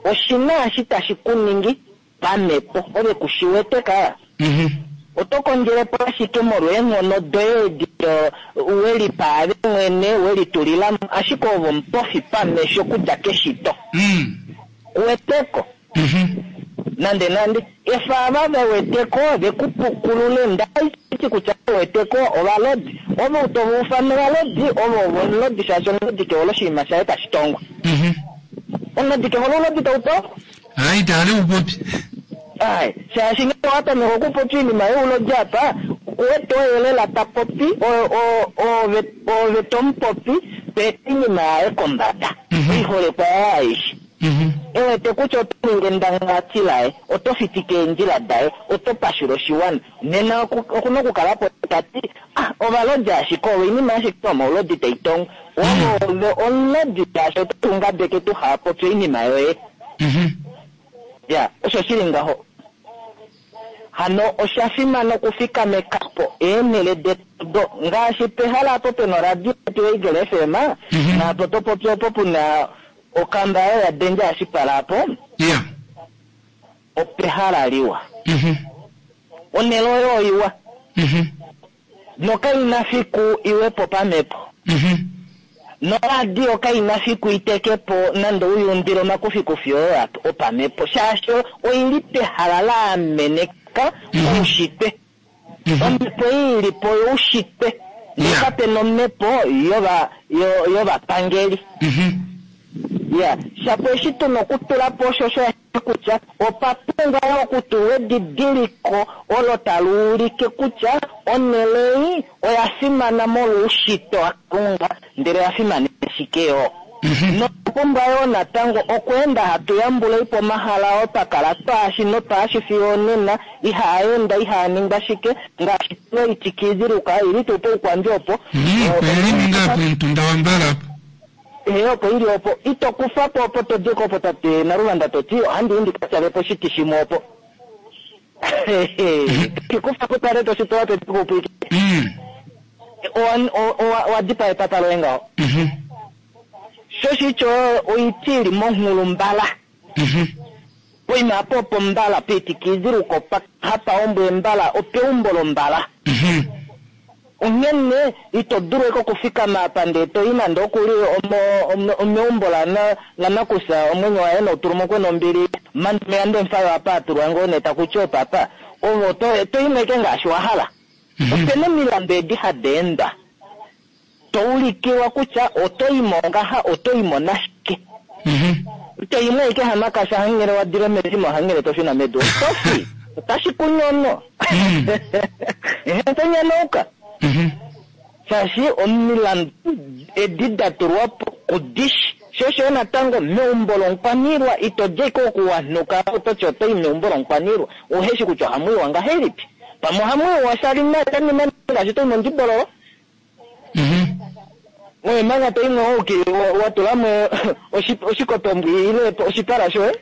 Oshina eshi tashi ku ningi pamhepo ove kushi wete ka. Mhm. Oto kondjele po ashike molweenghono doye edi do- welipa ave mwene welitulila mo, ashike ove omupofi pamesho okudja keshito. Mm. Kuweteko Mhm. nande nande efa ava ve weteko ve ku pukulule. Ndaiti kutya ve weteko ovalodi, ove tova ufana ovalodi, ove ovo omulodi, shaashi omulodi ke hole oshinima shaye tashi tongwa. Mhm. Omulodi ke hole oulodi tau tongwa. Ai, taale upopi. Ai, shaashi ngee owa tameka okupopya oinima youlodi apa, okuwete oye lela ta popi, o- o- ove ove tomupopi to eta oinima yaye kombada, Mhm. oiholekwa yaye aishe. Mhm. E wete kutya oto ningi endangalati laye, oto fitike eendjila daye, oto pashula oshiwana. Nena oku- okuna okukala po tati ah, ovalodi ashike ovo oinima ashike yomaulodi tai tongwa. Ove ove omulodi shaashi oto tungabeke tuha popya oinima yoye. Mhm. Ya, osho shili ngaho. Hano osha fimana okufikameka po eenhele detu do ngaashi pehala apo pena oradio yetu yoEagle F M, Mhm. naapo to popi opo puna okamba yayo ya Danger Ashipala apo, Yeah. opehala liwa. Mhm. Onhele oyo oiwa Mhm. nokaina fiku iwepo pamhepo. Mhm. Noradio kaina fiku iteke po nande uyundile omakufikufi oyo apo opamhepo, shaashi oili pehala la ameneka Mhm. oushitwe. Mhm. Omhepo ei ili po youshitwe. Yeah. Nokape nomhepo yova yo- yovapangeli. Mhm. Ya, shapo eshi tuna okutula po osho osho ashike kutya opa pumbwa yo okutulwa edidiliko olo tali ulike kutya onhele ei oya fimana molwoushitwe waKalunga, ndele oya fimana ashike yo. Notwa pumbwa yoo natango okweenda hatu yambula po omahala oo twa kala twaashi notwaashi fiyo onena, ihaa enda, ihaa ningwa shike, ngaashi tuna oitikiidhiluka ili tuu poukwambi opo. Oili ninga pomutunda wambala apo. Ee, opo ili opo ito kufa po opo to diko opo tate Naluvanda to ti ohandi i ndi ka tyale po oshiti shimwe opo. Kikufa po tale to shitola to diko opo ike. Owa- owa- owa dipaa epapa loye ngaho. Sho shityo oiti ili monghulumbala. Poima apo opo mbala piitikiidhiluko pa hapa ombwe mbala opeumbo lombala. Onghene ito dulu eke okufikama apa ndee toyi nande okuli omo- omo- omeumbo lana lanakusa omwenyo waye noutulumukwe nombili mandumeya ndemufayo apa atulwa ngoo nee takuti opapa ovo to to imwe eke ngaashi wa hala. Opena omilandu edi hadi endwa to ulikilwa kutya oto imo ngaha oto imo nashike. Ito imwe eke hamakasha hangele wa dile mezimo hangele to shuna medu oto fi otashi kunyono. Ehe, to nyonouka. Shaashi omilandu edi da tulwa po kudishi sho osho natango meumbo lomukwaniilwa ito dja ike okuwanuka ototi oto i meumbo lomukwaniilwa uheshi kutya ohamu iwa ngahelipi pamwe ohamu iwa shali nima ngaashi to i mondibololo oye manga to imwe ouki wa tulamo oshikotombwi ile oshipala shoye.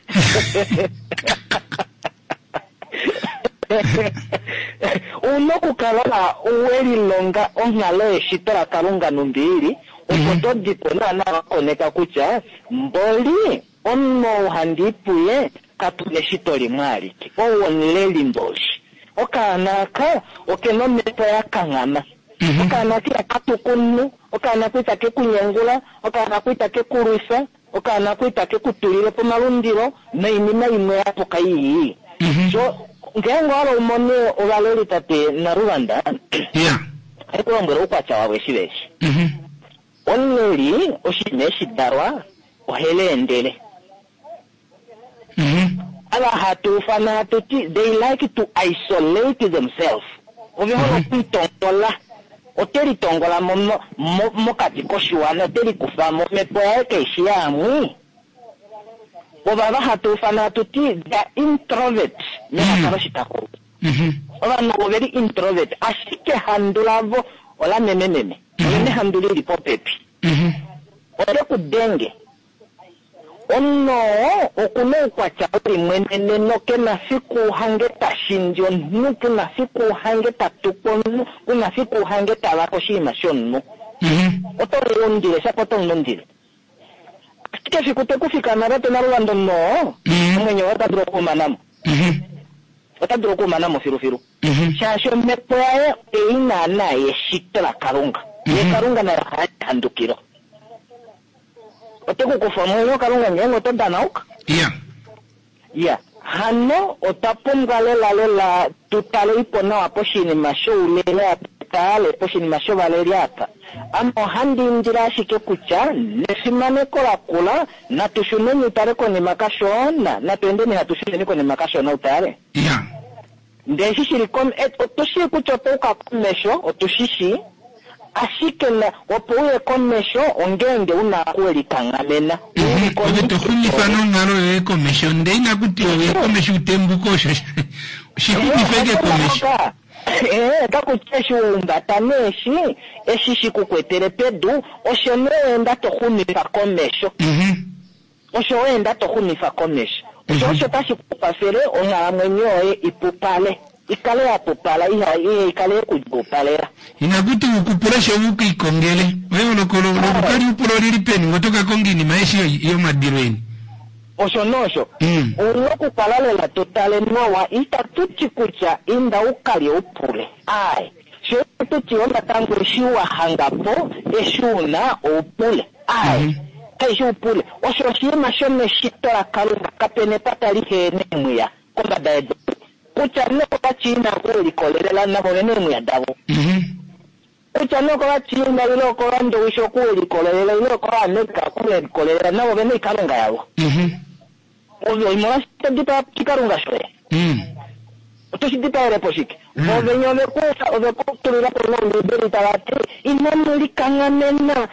Una okukala welilonga onghalo yeshito laKalunga numbi opo to dipo naana wakoneka kutya mboli omunhu ou handi puye katu eshito limwe alike ou omuleli mboli okaana aka okena omhepo ya kanghama. Okaana aka ihaka okaana ko itake kunyengula okaana ko itake kulwifa okaana ko itake kutulile po omalundilo noinima imwe yapuka ii. So ngeenge owa hala umone ovaleli tate Naluvanda ohai kulombwela oukwatya wavo eshi veshi. Omuleli oshinima eshi dalwa oheleendele. Ava hatu ufana hatu ti they like to isolate themselves. Ove hole okwiitongola ote litongola mo, mo, mokati koshiwana ote likufa mo omhepo yaye kaishi yaamwi. Ovava hatu ufana hatu ti they are introvert melaka loshitakulu. Ovanhu ovo veli introvert ashike handu lavo ola memememe. Olene handu lili popepi. Ote ku denge. Omunhu okuna oukwatya welimweneneno kena fiku hange tashindi omunhu kuna fiku hange tatuku omunhu kuna fiku hange tavaka oshinima shomunhu. Oto mulundile shapo oto mulundile. Ashike fiku te kufikama tate Naluvanda omunhu omwenyo woye ota dulu okuumanamo. Ota dulu okuumanamo filufilu. Shaashi omhepo yaye ei naana yeshito laKalunga. Ye Kalunga naye oha handukilo. Ote ku kufa omwenyo Kalunga ngeenge oto danauka. Ya. Ya. Hano otwa pumbwa lela lela tu tale ipo nawa poshinima shouleli apa, tale poshinima shovaleli apa. Ame ohandi indile ashike kutya nefimaneko lakula natu shuneni utale konima kashona, natu endeni hatu shuneni konima kashona utale. Ya. Ndee eshi shili kom-, eh, otu shii kutya otwa uka komesho, otu shi shii. Ashike na opo uye komesho ongeenge una okuwelikanghamena. Ove to xumifa nonghalo yoye komesho ndee inaku tiwa uye komesho utembuke osho shixumife eke komesho. Eh, kakutya eshi waumbata neeshi eshi shikukwetele pedu osho nee weenda to xumifa komesho. Osho weenda to xumifa komesho. Osho osho tashi ku kwafele onghalamwenyo yoye ipupale. Ikale ya pupala, iha, iha, ikale yekudjuupalela. Inakuti ukupule sho ukiikongele. Eyooloko lokukali upula olili peni ngo toka konga iinima eshi yomadilo eni. Osho nosho. Una okukala lela to tale nawa, itatu ti kutya inda ukalye upule. Ai, sho tuti natango eshi wa hanga po, eshi una oupule. Ai, kaishi upule. Osho oshinima shomeshito laKalunga, kapena epata lihe neemwiya kombada yedu. Kutya nee ovaChina okulikolelela navo vene eemwiya davo. Kutya nee okovachina ile okovandowishi okulikololela ile okovaamerica okulikololela navo vena oikalunga yavo. Ove molwaashi to dipaa oshikalunga shoye. Oto shi dipaele po shike? Ove ove ku tulila po mombiibeli tava ti inamu likanghamena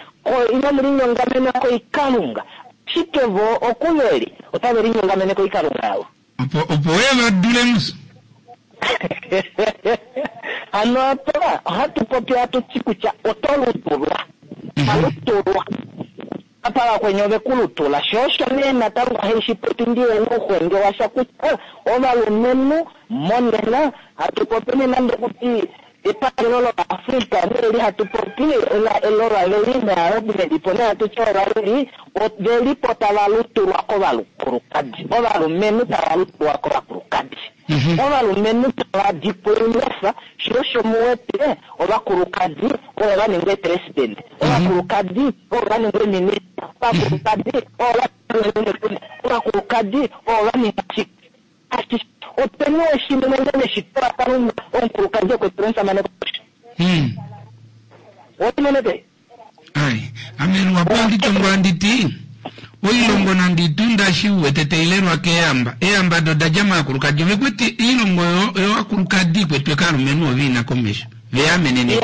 inamu linyongamena koikalunga. Ashike vo okuveli otave linyongamene koikalunga yavo. Opo opo we va dule mus. Hano apa ohatu popi hatu ti kutya oto lutulwa. Alutulwa. Apa vakweni ove ku lutula. Sho osho nee natango haishi popi ndiye nouxwenge washa kutya ovalumenhu monena hatu popi nee nande kuti epangelo loAfrika neli hatu popi lovaleli naalonelipo nee hatu ti ovaleli ovelipo tava lutulwa kovakulukadi. Ovalumenhu tava lutulwa kovakulukadi. Ovalumenhu tava dikwa oilefa, sho osho muwete ovakulukadi ovo va ningwa eepresident, ovakulukadi ovo va ningwa eeminista, ovakulukadi ovo va ovakulukadi ovo va ningwa shike. Openi oshinene meshito laKalunga omukulukadi okwetela omusamane kosho. Otimone pe? Ai, ame luhapu handi tongo handi ti oilongo nande itunda shi uwete tailelwa keeyamba. Eeyamba do da dja maakulukadi. Ove kwete oilongo yovakulukadi ikwetwe kaalumenhu ovo ina komesho. Veyamenene.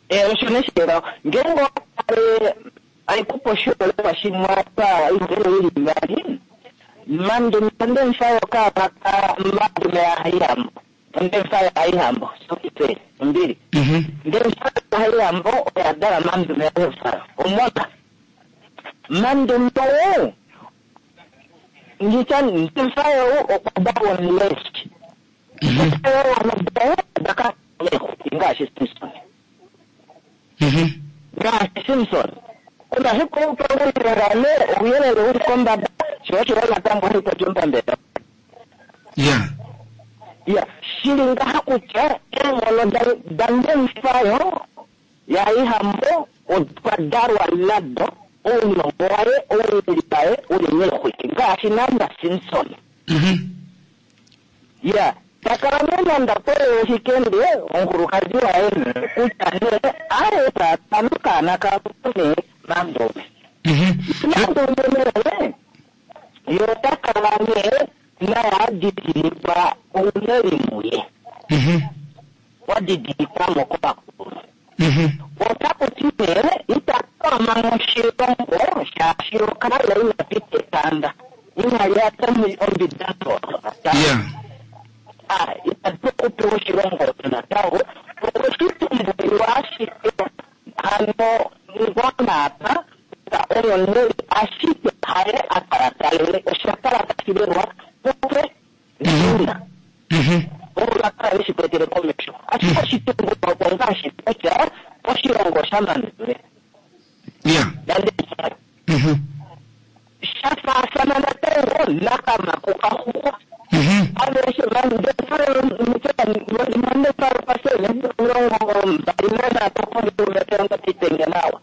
Eh, osho neshela. Ngeenge owatale aikupa oshiholelwa shimwe apa oiholelwa ili ivali. Mandume ondemfayo kaavaka mandume yaHaihambo. Ondemfayo yaHaihambo. Sokitse, ombili. Ndemfayo yaHaihambo oya dala mandume yaHaihambo. Omona. Mandume ou ngitya ndemfayo okwa dalwa omuleshi. Ndemfayo daka ngaashi Simpson. Ngaashi Simpson. Omafiku oupangulilane ouyelele uli kombada sho osho natango haipopi omupambele. Ya. Ya, shili ngaha kutya eenghono dandemfayo yaHaihambo okwa dalwa nado ounongo waye ouleli waye uli meexwiki ngaashi naana Simpson. Ya, takala nee nande akweye oshikende omukulukadi waye nee kutya nee aye tata nokaana kako nee Mandume. Mandume nee ye ota kala nee naye adidilikwa ouleli muye. Wadidilikwa mo kovakulunhu. Otaku ti nee ita twama moshilongo shaashi okala ina pita etanda. Ina lyata ombida Ah, ita dulu okupewa oshilongo osho natango. Okweshitumbulilwa ashike hano ngwana apa oyo neli ashike haye a kala talele osha kala tashi lelwa kuxe nina. Ovo va kala veshi kwetele komesho. Ashike oshitumbulwa oko ngaashi kutya oshilongo shaMandume. Ya. Sha faafana natango nakamako kaxuxwa. Aveshe mandefalo pasene omilongo mbali nanhatu okondiumeteongatitenge nawa.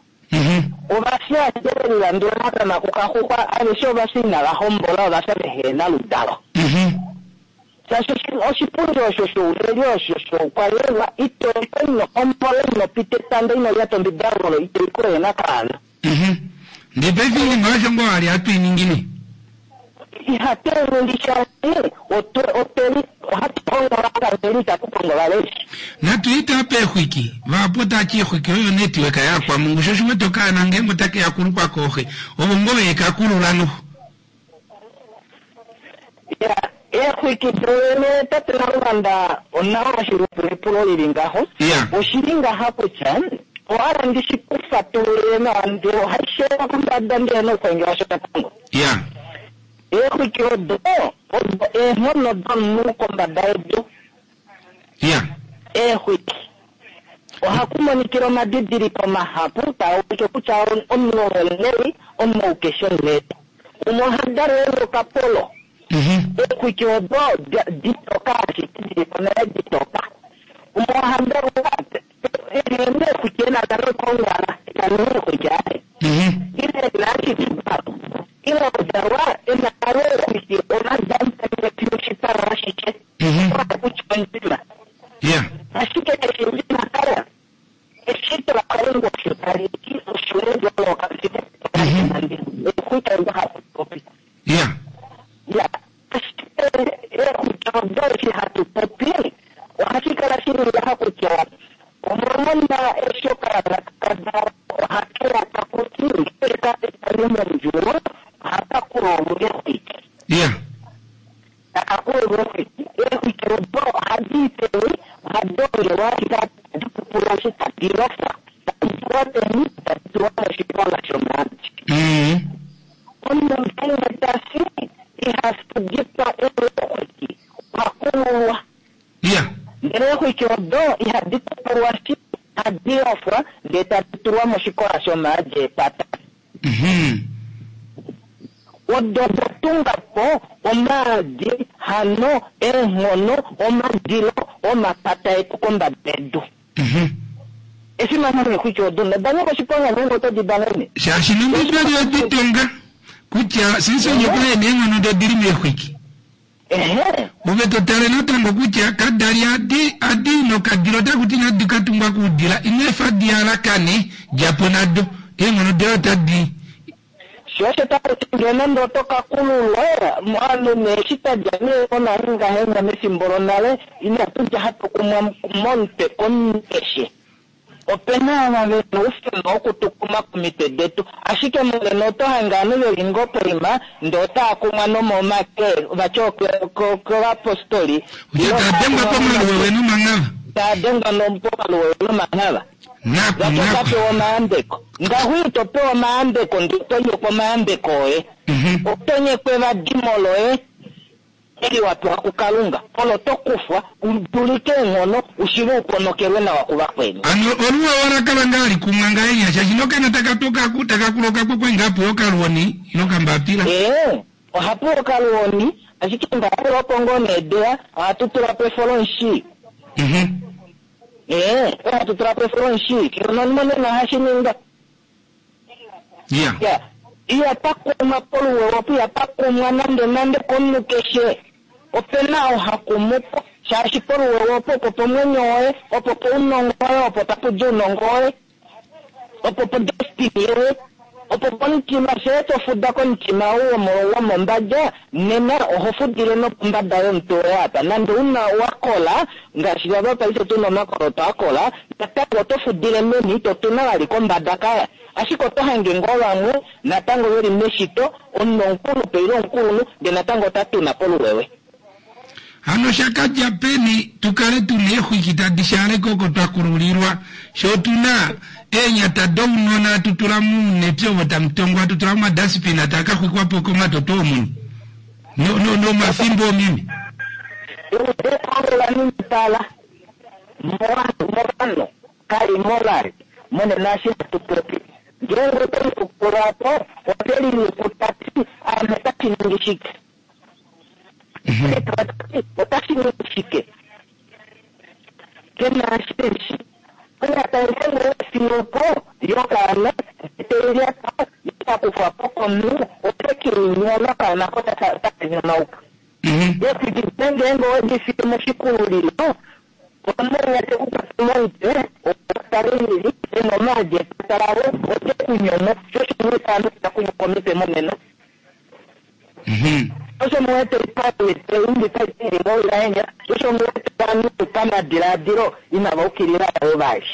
Ovafya ashike velilandula nakamako kaxuxwa aveshe ovafya inava hombola ovafya vehena ludalo. Shaashi oshipundi osho shouleli osho shoukwaniilwa ito ino hombola ino pita etanda ino lyata ombidangolo ito iko yena kaana. Ndee paife oinima osho ngoo wali hatu i ningi nee? Ihatu ningi shaashi otweli ohatu kongo ovaleli itatu kongo ovaleli. Natu ite apa eexwiki. Vahapu otati eexwiki oyo netiweka yakwamungu sho oshiwete okaana ngeenge otake ya kulukwa kooxe ovo ngoo vekakulula noho. Ya, eexwiki dowene tate Naluvanda onawa oshilupulipulo lili ngaho. Oshili ngaha kutya ohala ndishi kufatululile nawa ndele ohashi kombada ndele nouxwenge washo natango. Ya. Eexwiki odo odo eenghono domunhu kombada yedu. Ya. Eexwiki ohaku monikila omadidiliko mahapu taa ulike kutya omunhu omuleli omunhu keshe omuleli. Umwe oha dalwa ena okapolo. Eexwiki odo ditoka ashike dilipo nale ditoka. Umwe oha dalwa ena eexwiki ena dalo kongala ena eexwiki aye. Ile ena ashike ile odalwa ena nale eexwiki omadamutane oshipala ashike. Kutya ondjima. Ya. Ashike keshi ndjima kala. Eshi Eexwiki odo eshi hatu popi ohashi kala shili ngaha kutya omwamona eshi okaana kakadalwa ohakeya takuti ngee kapitani mondjuwo ohaka kululwa eexwiki. Ya. Taka kululwa eexwiki. Eexwiki odo ohadi peni ohadi ongelwa ashike tadi kupulwashi tadi lofwa tadi tulwa peni tadi tulwa moshikola shomaadi. Mm. Omunhu ngeenge tafi iha fudikwa eexwiki oha kululwa. Ya. Ndele eexwiki odo ihadi kupulwashi ohadi lofwa ndee tadi tulwa moshikola shomaadi epata. Mhm. Odo da tunga po omaadi hano eenghono omadilo omapata etu kombada yedu. Mhm. Efimano leexwiki odo noda nyika oshiponga ngeenge oto di danene. Shaashi nombibeli oditonga kutya sinsonye kwaye neenghono dodili meexwiki. Ehe. Ove totale natango kutya kadali adi adi nokadila otakuti nadi katungwa kuudila ino efa dialakane djapo nado eenghono doye otadi Sho osho takuti ngee nande oto ka kululwa ovanhu nee eshi twadja nee monale ngahenya mefimbo lonale inatu dja hatu kumwa momutwe komunhu keshe. Opena ava vena oufemba wokutukuma komitwe detu ashike monena oto hange ovanhu veli ngoo poima ndee otaa kumwa nomomake vati kovapostoli kutya tadengwa pomaluwewe nomanghava. Tadengwa pomaluwewe nomanghava. Naku Vati naku. otapewa omayambeko ngaho ito pewa omayambeko ndee otonyekwa omayambeko oye. Mhm. Otonyekwa evadimo loye eli wa pewa kuKalunga olo to kufwa udulike eenghono ushive uponokelwe nawa kuvakweni. Ano oluwa walakala ngaa likumwa ngahenya shaashi nokana takatoka takakuloka kwekwe ngapo okaluoni ilo kambapila. Ee ohapu okaluoni ashike ngaho opo ngoo needeya ohatu tula po efolomushi. Mhm. Ee ohatu tula po efolomushi nonmonena ohashi ninga. Ya. Ya ihapa kumwa poluwewe opo ihapa kumwa nande nande komunhu keshe. Opena oo ha kumu po shaashi poluwewe opo opo pomwenyo woye opo pounongo woye opo tapu di ounongo woye opo po destiny yoye opo pomutima shee tofuda komutima ou womo- womombada nena oho fudile nopombada yomutwe woye apa nande una wakola ngaashi vava paife tuna omakoloto akola natango oto fudile meni totuna vali kombada kaya ashike oto hange ngoo vamwe natango veli meshito omunhu omukulupe ile omukulunhu ndee natango ota tuna poluwewe. Hano shakadja peni tukale tuna eexwiki tadi shaaleke oko twakululilwa sho tuna eenyata dounona tutula muunepya ovo tamutongwa tutula momadaspina taakaxwikwapo komatoto omuni no no nomafimbo omimi. Eola ninipala movanhu kali molari monena eshi hatu popi ngeenge oto likukula po ote liluku tati ame otashi ningi shike otashi ningi shike kena ashishi onyata ngeenge owefiyepo yokaana teilyata yakufwa po komunhu ote keinyona okaana ko taka nyonauka. Mhm. Eexwiki ngeenge owedifiye moshikululilo omanya tekukwata momutwe otalilili ena omaadi epata lavo ote kunyono sho shimwe ovanhu takunyo komitwe monena. Mhm. Osho muwete ipalete taitili ngolahenya osho muwete vanhu pamadiladilo inava ukilila avo vali.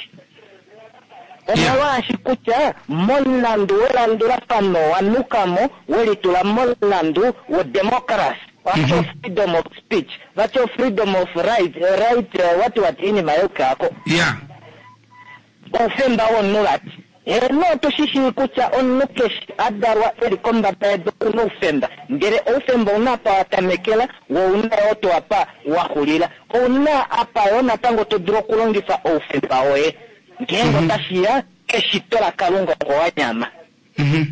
Omolwaashi kutya momulandu welandulafano wanukamo welitula momulandu wodemocracy vatyo Mhm. freedom of speech vatyo freedom of right right wati wati iinima yokaako Ya. oufemba womunhu vati heno otushishii kutya omunhu keshe adalwa eli kombada yedu okuna oufemba ndele oufemba ouna apa watamekela wo ouna yoo to apa waxulila ouna apa yoo natango to dulu okulongifa oufemba woye ngeenge otashiya keshito laKalunga oko wanyama. Mhm.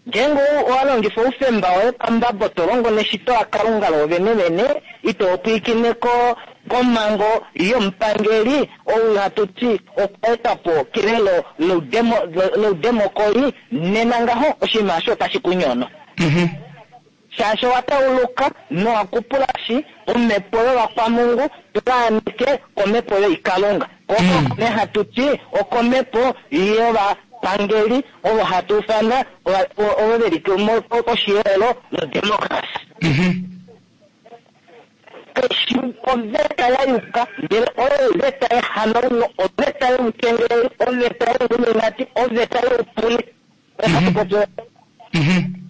Ngeenge owa longifa oufemba woye pambabo to longo neshito laKalunga loovene vene ito pwiikine ko komhango yomupangeli ou hatu ti okwa po kelelo loudemo- loudemokoli nena ngaho oshinima osho otashi kunyono. Mhm. Shaashi owa tauluka nowa kupulashi omhepo yovakwamungu tulaanike komhepo yoikalunga koko Mm. ne hatu ti okomhepo yovapangeli ovo hatu ufana ovo veli koshiyelo lodemocracy. Mhm. Kaishi oveta ya yuka, ndele oyo oveta yehanauno, oveta youkengeleli, oveta youilluminati, oveta youpule. Ohatu popi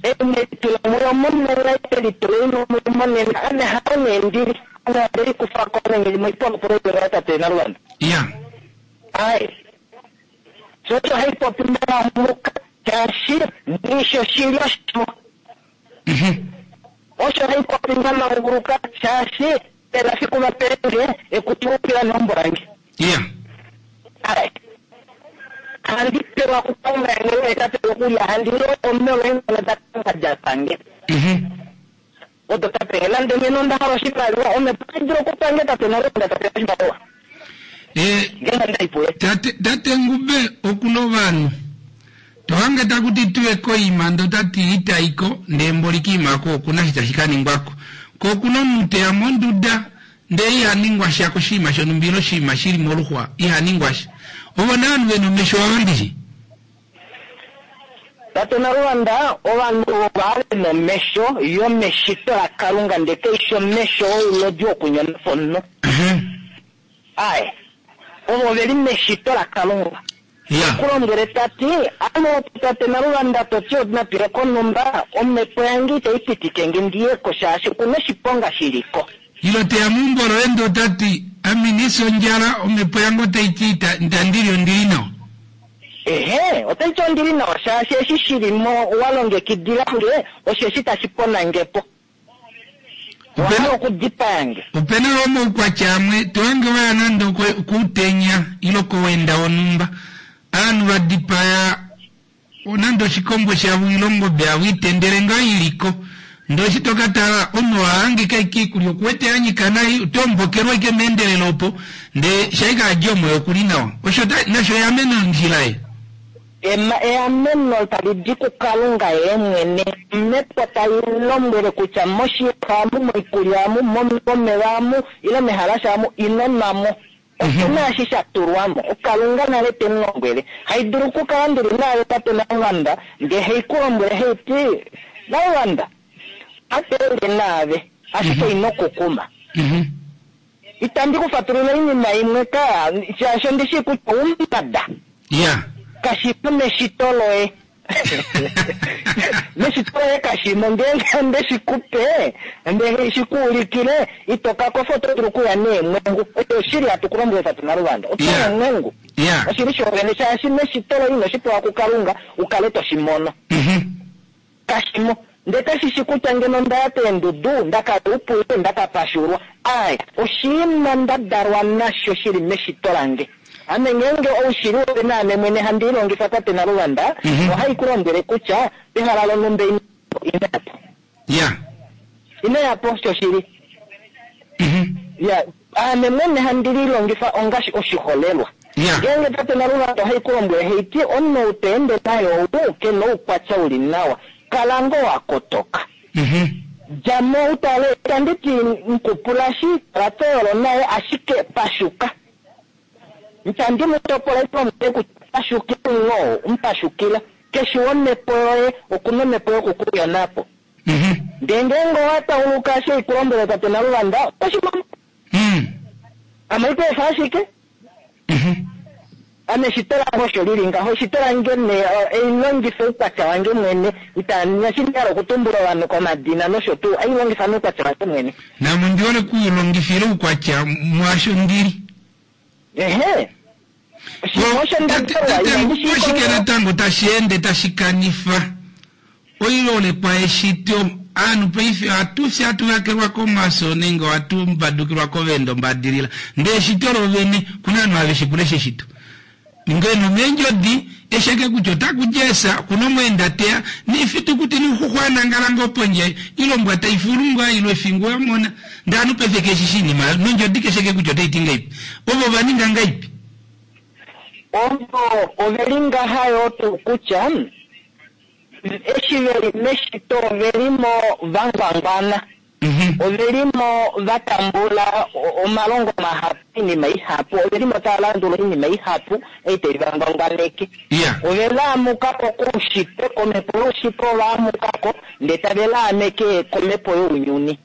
Ine muyo monena itelituleni muyo monena ame hao nee ndili ame andeli kufa ko nenge moipolopolo tate Naluvanda. Ya. Ai. Sho haipopi muka shaashi nisho shili osho. Osho haipopi namanguluka shaashi pena fiku vapenge ekutulukila neumbo lange. Ya. Ai. Handi pewa kukalunga ngele tate okulya handi lo omelo engona dakalunga dapange. Odo tapenge nande ngeno nda hala oshimaliwa omhepo otai dulu okupange tate Naluvanda tapewa oshimaliwa. Eh, Ngeno ndaipuye. tate tate Ngube okuna ovanhu tohange takuti tuye koima ndo tati itaiko ndee mboli kiimako okuna shi tashi kaningwako ko okuna omunhu teya monduda ndee ihaningwa sha koshiima shonumba ile oshiima shili moluxwa ihaningwa sha ovo nee ovanhu vena omesho ava ndishi Tate Naluvanda ovanhu ova vena omesho yomeshito lakalunga ndee kaishi omesho oulodi wokunyonapo omunhu. Ai. Ovo veli meshito lakalunga. Ya. Kulombwele tati ano tate Naluvanda toti natuye konumba omhepo yange itayi pitike nge ndiyeko shaashi okuna oshiponga shiliko. Ilo teya meumbo loye ndee otati ame inisi ondjala omhepo yange otaiti ita- itandili ondili nawa. Ehe, otaiti ondili nawa shaashi eshi shilimo wa longekidila nge osheshi tashi pona nge po. Wahala okudipaya nge. Opena yo omaukwatya amwe tohange waya nande oko- koutenya ile kowenda wonhumba ovanhu vadipaya nande oshikombo shavo ile ongobe yavo itendele ngaa iliko ndee eshi tokatala omunhu ohahangika ashike oikulya okuwete yanyika nai otoombokelwa ashike meendelelo opo ndee shaika adja omoyo okuli nawa osho ta- nasho eameno ondjila ye Ema- eameno tali di kukalunga ye mwene omhepo tai lombwele kutya moshiyaxa amu moikulya amu mom- momeva amu ile mehalasha amu ino nwamo opena eshi sha tulwamo okalunga nale te mu lombwele haidulu okukala ndili naave tate Naluvanda ndee haikulombwele haiti Naluvanda ateende naave ashike ino kukuma itandi kufatulula oinima imwe ka shaashi ondishi kutya oumbada ya kashimo meshito loye meshito loye kashimo ngeenge onde shikupe nde shikuulikile ito kakofa oto dulu okuya neemwengu oyo oshili hatu kulombwele tate Naluvanda oto Yeah. emwengu ya oshili shoovene shaashi meshito loye ino shipewa kukalunga ukale toshimono kashimo ndee kashishi kutya ngeno ndaya peendudu ndakaupule ndakapashulwa aya oshiima nda dalwa nasho shili meshito lange ame ngeenge oushili woye naame mwene handi ilongifa tate Naluvanda ohai ku lombwele kutya pehala lonhumba ino yapo ya ino yapo shoshili ya ame mwene handi lilongifa ongashi oshiholelwa ngeenge tate Naluvanda ohai ku lombwele haiti omunhu ou to ende naye ou kena oukwatya uli nawa kala ngoo wakotoka djamo utale itanditi nkupulashi kala toyolo naye ashike pashuka itandi mu topola itombwele kutya pashukila ngoo mupashukila keshe womhepo yoye okuna omhepo yokukuyonapo ndee ngeenge owatauluka eshi haikulombwele tate Naluvanda otoshimono ame itoefa ashike ame eshito lange osho lili ngaho eshito lange nee eilongifa oukwatya wange mwene itashi hala okutumbula ovanhu komadina nosho tuu ailongifa oukwatya wange mwene namo ndihole kuulongifila oukwatya mwaasho ndili ehe oshike natango tashi ende tashi kanifa oilolekwa yeshito aanhu paife ohatu fye hatu vakelwa komaso nenge ohatu mbadukilwa kovendo mbadilila ndee eshito lovene kuna ovanhu have shipula eshito ngeno meendjodi esheke kutya otaku esa kuna omweenda teya nifitukuti niuxuxwa anangala pondje ilombwa taifulungwa ilo efingu yamona ndee ovanhu paife keshishi inima nondjodi kesheke kutya otaiti ngaipi ovo vaninga ngaipi ovo oveli ngaha yoo tuu kutya eshi veli meshito ovelimo vangwangwana ovelimo vatambula omalongo mahapu oinima ihapu ovelimo tava landula oinima ihapu ei tai vangwangwaneke ove laamukako koushitwe komhepo youshitwe ovaamukako ndee tave laameke komhepo younyuni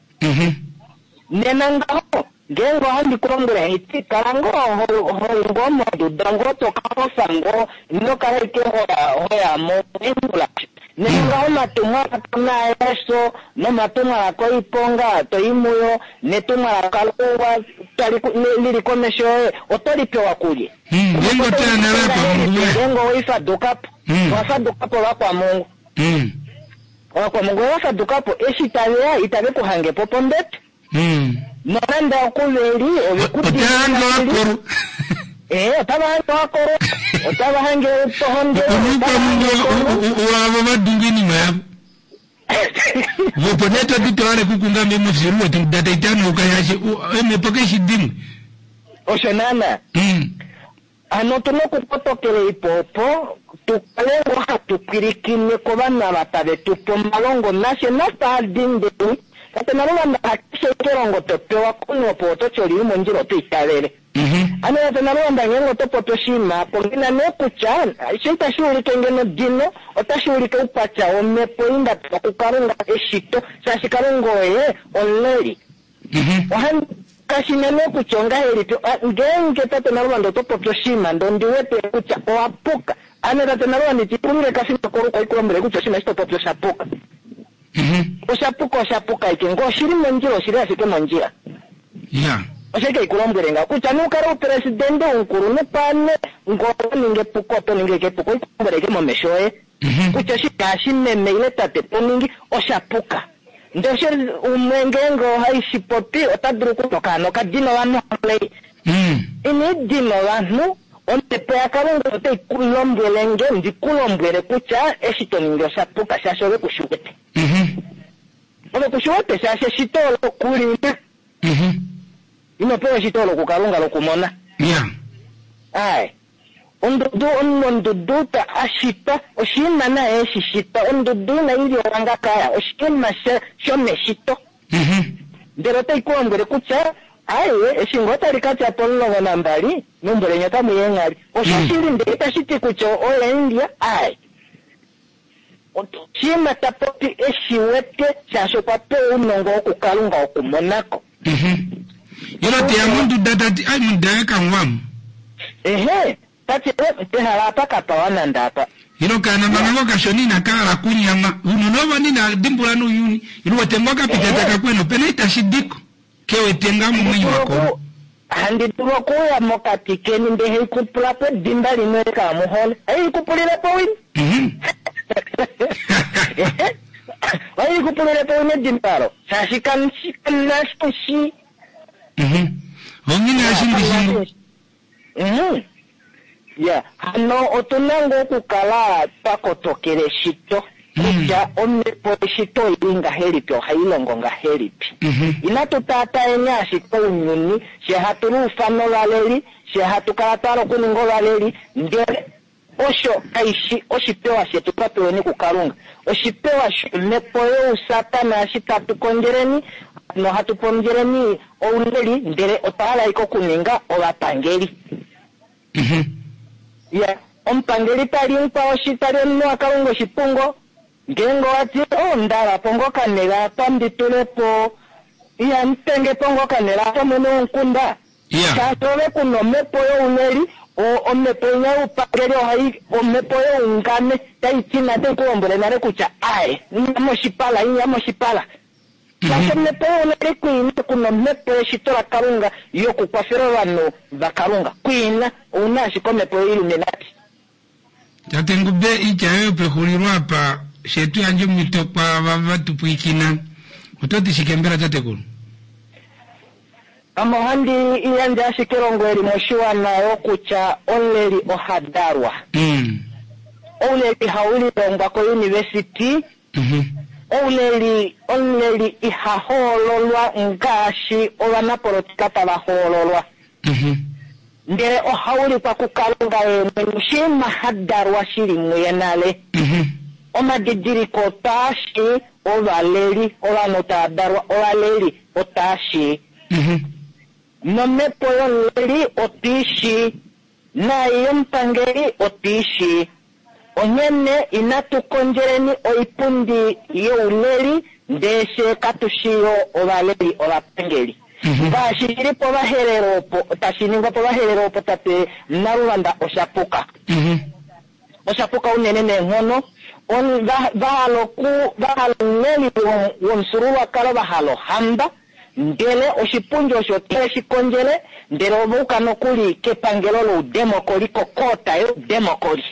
Nena ngaho ngeenge ohandi ku lombwele haiti kala ngoo ho- hoi ngoo monduda ngoo to ka kofa ngoo ino kala ike hoya hoya mo ingula. Nena ngaho omatumwalaka naayeso nomatumwalaka oiponga to i muyo netumwalaka louwa tali ku- li- lili komesho yoye oto li pewa kulye. Mm, ngeenge otoya nale akwamungu we. Ngeenge oweifadukapo Mm. wafadukapo vakwamungu Mm. vakwamungu ovafadukapo eshi taveya itave ku hangepo pombete Mm. nonande okuveli Otahange wakolo. Eh, otava hange wakolo otava hange tohonde Omukwamungu wavo vadunga inima yavo. Vopo nee toti twale kukunga memufiru wetu data itano ukayashe emhepo keshi dimwe. Osho naana. Mm. Hano otuna okukotokela ipo opo tukale ngoo hatu pwilikine kovanhu ava tave tupe omalongo nashe nafaadindeni tate naluvanda hakeshe kelongo topewa komunhu opo ototi olili mondjila oto itavele. Ano tate naluvanda ngeenge oto popi oshinima pongina nee kutya sho itashi ulike ngeno dino otashi ulike oukwatya womhepo ei nda pewa kukalunga eshito shaashi kalunga oye omuleli. Ohandi kashina nee kutya ongahelipi a- ngeenge tate naluvanda oto popi oshinima ndee ondi wete kutya owa puka ame tate naluvanda itikulile kafima koluko ikulombwele kutya oshinima eshi to popi osha puka. Osha puka osha puka ike ngee oshili mondjila oshili ashike mondjila. Ya. Osho ike ikulombwele ngaho kutya nukale upresidende umukulunhu pane ngoo oto ningi epuko oto ningi ike epuko ikulombwele ike momesho oye kutya oshinima eshi meme ile tate to ningi osha puka. Ndee osho umwe ngeenge ohaishi popi ota dulu okutya okaana okadina ovanhu amulei. Ina idina ovanhu omhepo yakalunga otai ku lombwele nge ndi ku lombwele kutya eshi to ningi osha puka shaashi ove kushi wete. Ove kushi wete shaashi eshito olo kulina. Ino pewa eshito olo kukalunga lokumona. Ya. Aye. Ondudu omundudu ta ashitwa oshinima naye eshi shitwa ondudu inayi liwa ngakaya oshinima sha- shomeshito. Ndele otai ku lombwele kutya aye eshi ngoo tali ka tya pomulongo nambali meumbo leni otamu i eenghali. Osho shili ndele itashi ti kutya oye aye. Oshinima ta popi eshi wete shaashi okwa pewa ounongo wokukalunga wokumonako. Ilo teya monduda tati ai monduda yakamwamu. Ehe, tati pehala apa kapawa nande apa. Ilo kana manga kashona inakala kunyama unona ovo nina dimbula nouyuni ilo wete ngoo kapita takakwena opena itashi diko kewete nga momwenyo wako. Handi dulu okuuya mokati keni ndee haikupula po edimba limwe kaamuhole. Haikupulilepo wini. Haikupulilepo wini edimba alo. Shaashi kamushi kamunashishi. Ongina ashindishingo. Mhm. Ya, hano otuna ngoo okukala twa kotokela eshito kutya omhepo yeshito oili ngahelipi ohai longo ngahelipi. Inatu taataeni ashike ounyuni she hatu luufana ovaleli she hatu kala twa hala okuninga ovaleli ndele osho kaishi oshipewa shetu twa peweni kukalunga. Oshipewa shomhepo yousatana eshi tatu kondjeleni nohatu pondjeleni ouleli ndele otwa hala ike okuninga ovapangeli. Ya, omupangeli tali mukwao shi tali omunhu wakalunga oshipungo ngeenge owati o ndalapo ngoo kanela apa ndi tulepo ihamutengepo ngoo kanela apa mwene womukunda. Shaashi ove kuna omhepo youleli o- omhepo inya youpangeli ohai omhepo youngame tai ti nate ku lombwele nale kutya aye inya moshipala inya moshipala. Shaashi omhepo youleli kwiina kuna omhepo yeshito lakalunga yokukwafela ovanhu vakalunga kwiina ouna ashike omhepo yoiluminati. Tate Ngube itya yoye pexulilo apa shetu yandje omhito kwaava vatupwiikina oto ti shike mbela tatekulu? Ame ohandi yandje ashike elongo eli moshiwana yokutya omuleli oha dalwa. Ouleli haulilongwa kouniversity. Ouleli omuleli iha hoololwa ngaashi ovanapolotika tava hoololwa. Ndele ohaulikwa kukalunga ye mwene oshinima ha dalwa shili muye nale. Omadidiliko otaashi ovaleli ovanhu tava dalwa ovaleli otaashi. Nomhepo yomuleli otwiishi naai yomupangeli otwiishi. Onghene inatu kondjeleni oipundi youleli Ndee fyee katu shi yo ovaleli ovapangeli. Ngaashi shi li pOvaherero opo, tashi ningwa pOvaherero opo tate Naluvanda osha puka. Osha puka unene neenghono. On- va- va hala oku- va hala omuleli wom- womufyuululwakalo va hala ohamba, ndele oshipundi osho otave shi kondjele, ndele ova uka nokuli kepangelo loudemokoli, kokoota youdemokoli.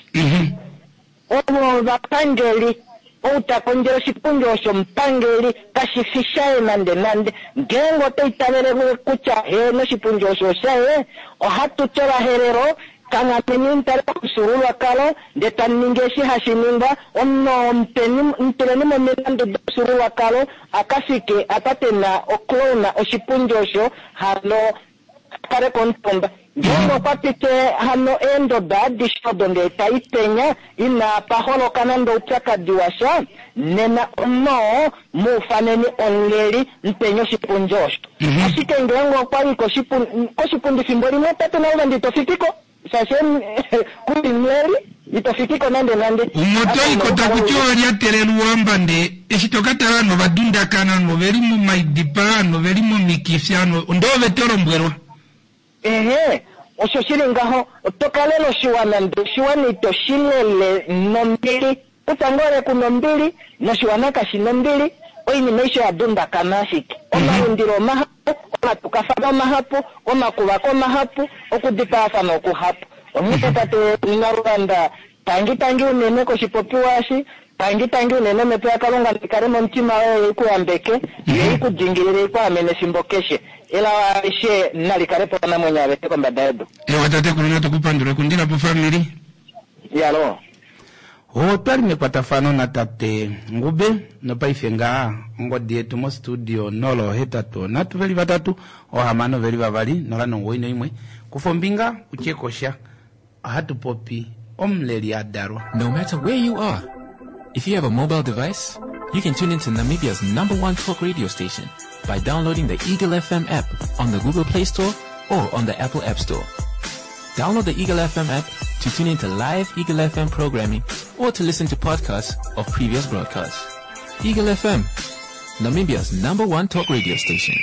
Ovo ovapangeli. Ou ta kondjele oshipundi osho omupangeli, kashi fi shaye nande nande. Ngeenge ota itavele kutya heeno oshipundi osho oshaye, ohatu ti Ovaherero, kanghameni mutale komufyuululwakalo, ndee tamu ningi eshi hashi ningwa, omunhu oo mupeni, mutuleni momilandu domufyuululwakalo, a ka fike apa pena oklouna oshipundi osho, hano a kale komutumba. Ngeenge okwa pite hano eendodo adishe odo ndee tai penya, ina pa holoka nande oupyakadi washa, nena omunhu oo muufaneni omuleli, mupeni oshipundi osho. Ashike ngeenge okwa i koshipundi, koshipundi fimbo limwe tate Naluvanda ito fikiko, shaashi kuli muleli, ito fikiko nande nande. Omoto iko takuti olyatelela uwamba ndee eshi toka tala ovanhu ovadundakana, ovanhu oveli momaidipa, ovanhu oveli momikifi, ovanhu ndee ove to lombwelwa. Ehe, osho shili ngaho, oto kalela oshiwana ndee oshiwana ito shi lele nombili. Kutya ngoo ole kuna ombili, noshiwana kashi na ombili, oinima aishe oya dundakana ashike. Omalundilo omahapu, omatukafano omahapu, omakuvako omahapu, okudipaafana okuhapu. Onghee tate Naluvanda, tangi tangi unene koshipopiwa eshi, tangi tangi unene omhepo yaKalunga naikale momutima woye i ku yambeke, yo i ku dingilile, i ku amene efimbo keshe. Elao alishe nali kale po ovanamwenyo aveshe kombada yedu. Ewa tatekulu, natu ku pandule kundila po family. Yalo. Otwali mekwatafano natate Ngube nopaife ngaa ongodi yetu mostudio nolo hetatu nhatu veli vatatu ohamano veli vavali nola nomuwoi noimwe. Kufa ombinga utye kosha. Ohatu popi omuleli a dalwa. No matter where you are, if you have a mobile device, you can tune into Namibia's number one talk radio station by downloading the Eagle F M app on the Google Play Store or on the Apple App Store. Download the Eagle F M app to tune into live Eagle F M programming or to listen to podcasts of previous broadcasts. Eagle F M, Namibia's number one talk radio station.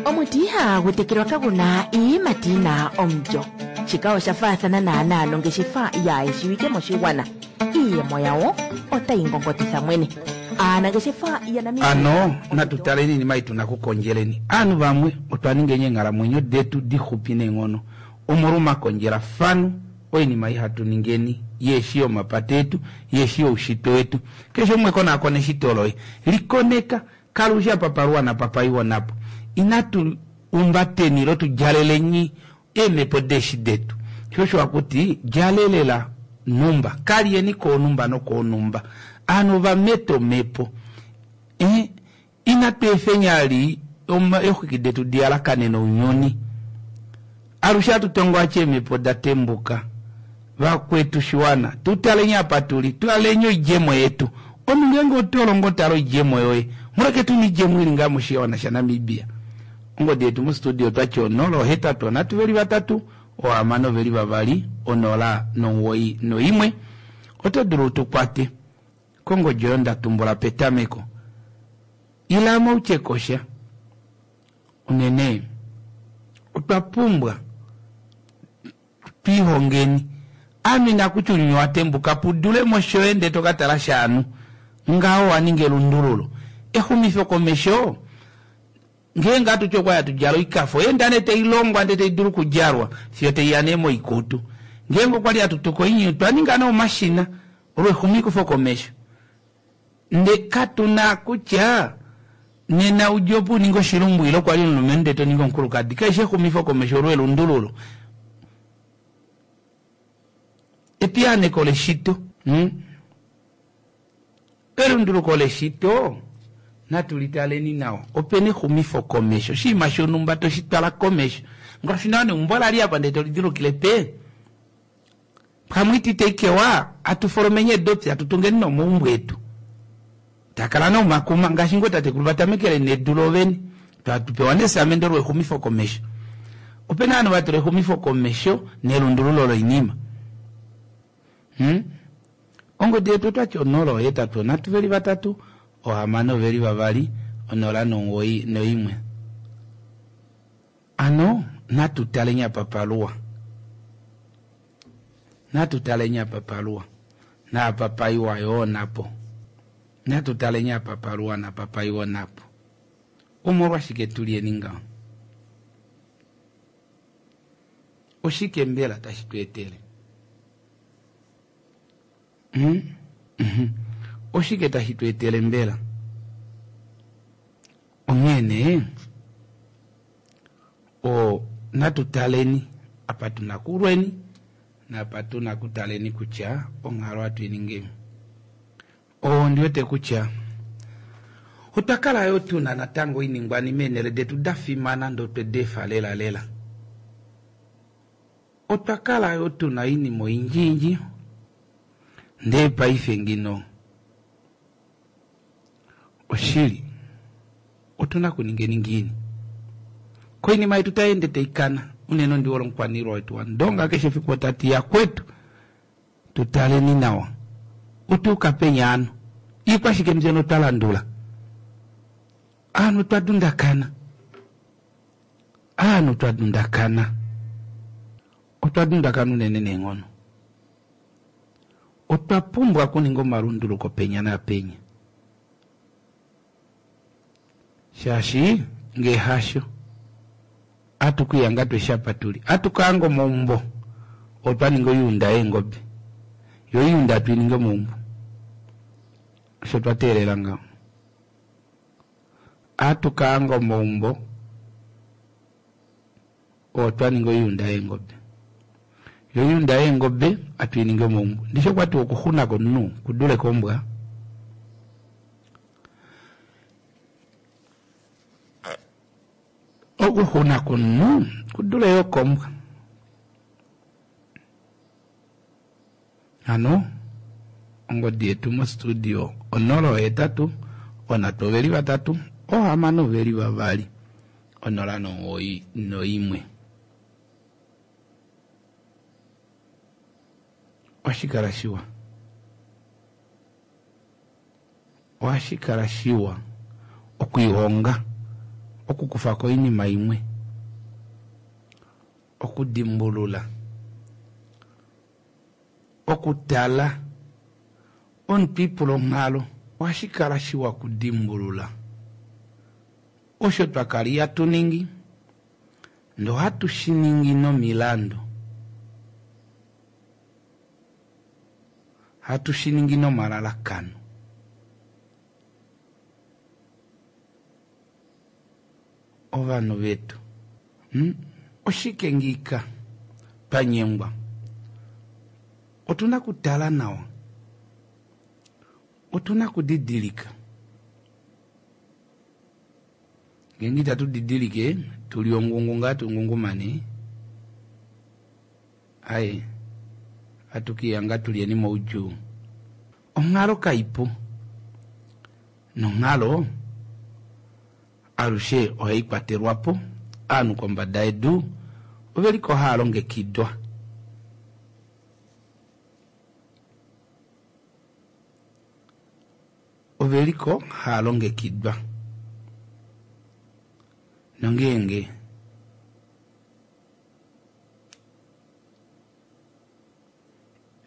Omuti ihagu tekelwa kaguna iiyimati yina omulyo. Shika osha faathana naanaa nongeshefa yaayeshiwike moshigwana. Iiyemo yawo otayi ngongotitha mwene. Aanangeshefa ya Namibia Ano, natu taleni iinima ei tuna kukondjeleni. Aanhu vamwe otwa ninga eenghalamwenyo detu dixupi neenghono omolwa omakondjelafano, oinima ei hatu ningeni yeeshi yomapata etu, yeeshi youshitwe wetu. Keshe umwe konaakona eshito loye, likoneka, kala ushi apa paluwa napa paiwa napo. Inatu umbateni ilo tu djaleleni eemhepo deeshi detu. Sho osho hakuti djalelela numba, kalyeni koonumba nokoonumba. Aanhu ova meta omhepo. Eh, inatu efeni ali oma-, eexwiki detu di yalakane nounyuni. Alushe hatu tongo ache eemhepo da tembuka. Vakwetu shiwana, tu taleni apa tuli, taleni oidjemo yetu. Omunhu ngeenge oto longo tala oidjemo yoye, muleke tu niidjemo ili ngaa moshiwana shaNamibia. Ongodi yetu mostudio twati onola ohetatu onhatu veli vatatu, ohamano veli vavali, onola nomuwoi noimwe. Oto dulu tu kwate kongodi oyo nda tumbula petameko. Ila moutye kosha. Unene otwa pumbwa twihongeni. Ame nakutya ounyuni wa tembuka pudule moshoye ndee to ka tala shaanu. Ngaho wa ninga elundululo. Exumifo komesho, ngeenge hatu ti okwa ya tudjala oikafo, enda nee tai longwa ndee tai dulu okudjalwa, fiyo tai ya nee moikutu. Ngeenge okwa li hatu tuka oinyu, twa ninga nee omashina, olwexumifo komesho. Nde katu na kutya nena udje opo uninge oshilumbu ile okwa li omulumenhu ndee to ningi omukulukadi. Keshe exumifo komesho olwelundululo. Epiyaaneko leshito. Hmm? Elunduluko leshito natu litaleni nawa. Opena exumifo komesho. Oshinima shonhumba toshi twala komesho. Ngaashi nawa neumbo la li apa ndee to lidilukile pe. Pamwe iti tekewa, atu folomenye edopi, atu tungeni nomaumbo etu. Takala nomakuma, ngaashi ngoo tatekulu vatamekele nedu lovene. Twatu pewa nesamende lwexumifo komesho. Opena ovanhu vatula exumifo komesho nelundululo loinima. Hmm? Ongodi yetu otwati onola ohetatu onhatu veli vatatu, Ohamano oveli vavali, onola nomuwoi noimwe. Ano natu taleni apa paluwa. Natu taleni apa paluwa. Naapa paiwa yoo napo. Natu taleni apa paluwa napa paiwa napo. Omolwashike tulyeni ngaho? Oshike mbela tashi tu etele? Hmm? Mhm. Oshike tashi tu etele mbela? Onghee nee o natu taleni apa tuna kulweni napa tuna kutaleni kutya onghalo ohatu i ningeni. Ondi wete kutya otwa kala yo tuna natango oiningwanima eenhele detu da fimana ndee otwe di efa lela lela. Otwa kala yo tuna oinima oyindjiyindji ndee paife ngino oshili otuna kuningeni ngiini? Koinima yetu tai ende tai kana unene ondi hole omukwaniilwa wetu waNdonga keshe efiku ota ti yakwetu tu taleni nawa otuuka peni ano iikwashike mbyono twa landula aanhu twa dundakana aanhu twa dundakana otwa dundakana unene neenghono otwa pumbwa okuninga omalunduluko penya naapenya shaashi ngee hasho atukuyanga tweshapa tuli atukaanga omaumbo otwa ninga oyuunda yeengobe yo oyuunda atuiningi omaumbo osho twa teelela ngaho atukaanga omaumbo otwa ninga oyuunda yeengobe yo oyuunda yeengobe atuiningi omaumbo ndishi okwati okuxuna komunhu kudule kombwa okuxuna komunhu kudule yo kombwa hano ongodi yetu mostudio onola ohetatu onhatu oveli vatatu ohamano oveli vavali onola nomuwoi noimwe ohashi kala shiwa ohashi kala shiwa okwiihonga okukufako oinima imwe okudimbulula okutala omuntu ipula onghalo ohashi kala shiwa okudimbulula osho twa kala ihatu ningi ndee ohatu shi ningi nomilandu hatu shi ningi nomalalakano ovanhu vetu hmm? Oshike ngiika twa nyengwa otuna kutala nawa otuna kudidilika ngeenge itatu didilike tuli ongungu ngaa tungungumane aye atukiyanga tulyeni moudjuu onghalo kaipu nonghalo alushe ohai kwatelwa po aanhu kombada yedu oveliko haa longekidwa oveliko haa longekidwa nongeenge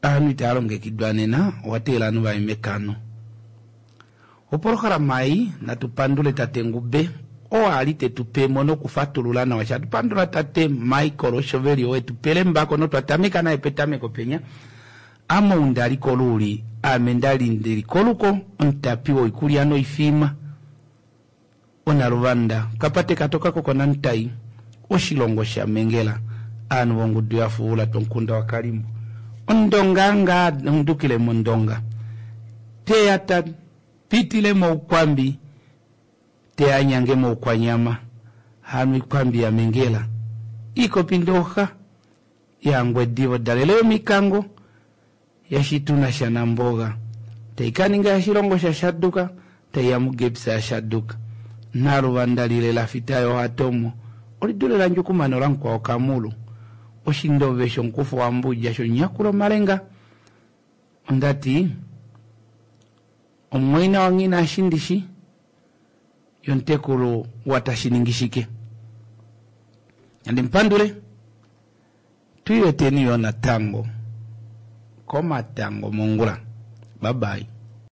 aanhu itaa longekidwa nena owa teelela ovanhu vaye mekano opolohalama ei natu pandule tate Ngube oo ali tetu pemo nokufatulula nawa shatu pandula tate Michael Oshoveli oo etu pele mbako notwa tameka naye petameko penya ame ou ndali koluuli ame ndali ndili koluko omutapi woikulya noifima onaluvanda kapate katoka kokonantai oshilongo shamengela aanhu vongudu yafuula twomukunda wakalimbo ondonga ngaa ondukile mondonga teya ta pitile moukwambi teya nyange moukwanyama hano ikwambi yamengela ikopi ndoxa yangwedivo dalele yomikango yashituna shanamboga taikaninga yashilongo shashaduka taiya mugepsa yashaduka naluvanda lile lafita yohatomo olidule landjukumano lamukwao kamulu oshindove shomukufo wambudja shonyakulo malenga ondati Omumwaina waNghinashindishi yomutekulu waTashiningishike. Nandi mupandule twiiweteni yoo natango komatango mongula. Bye bye.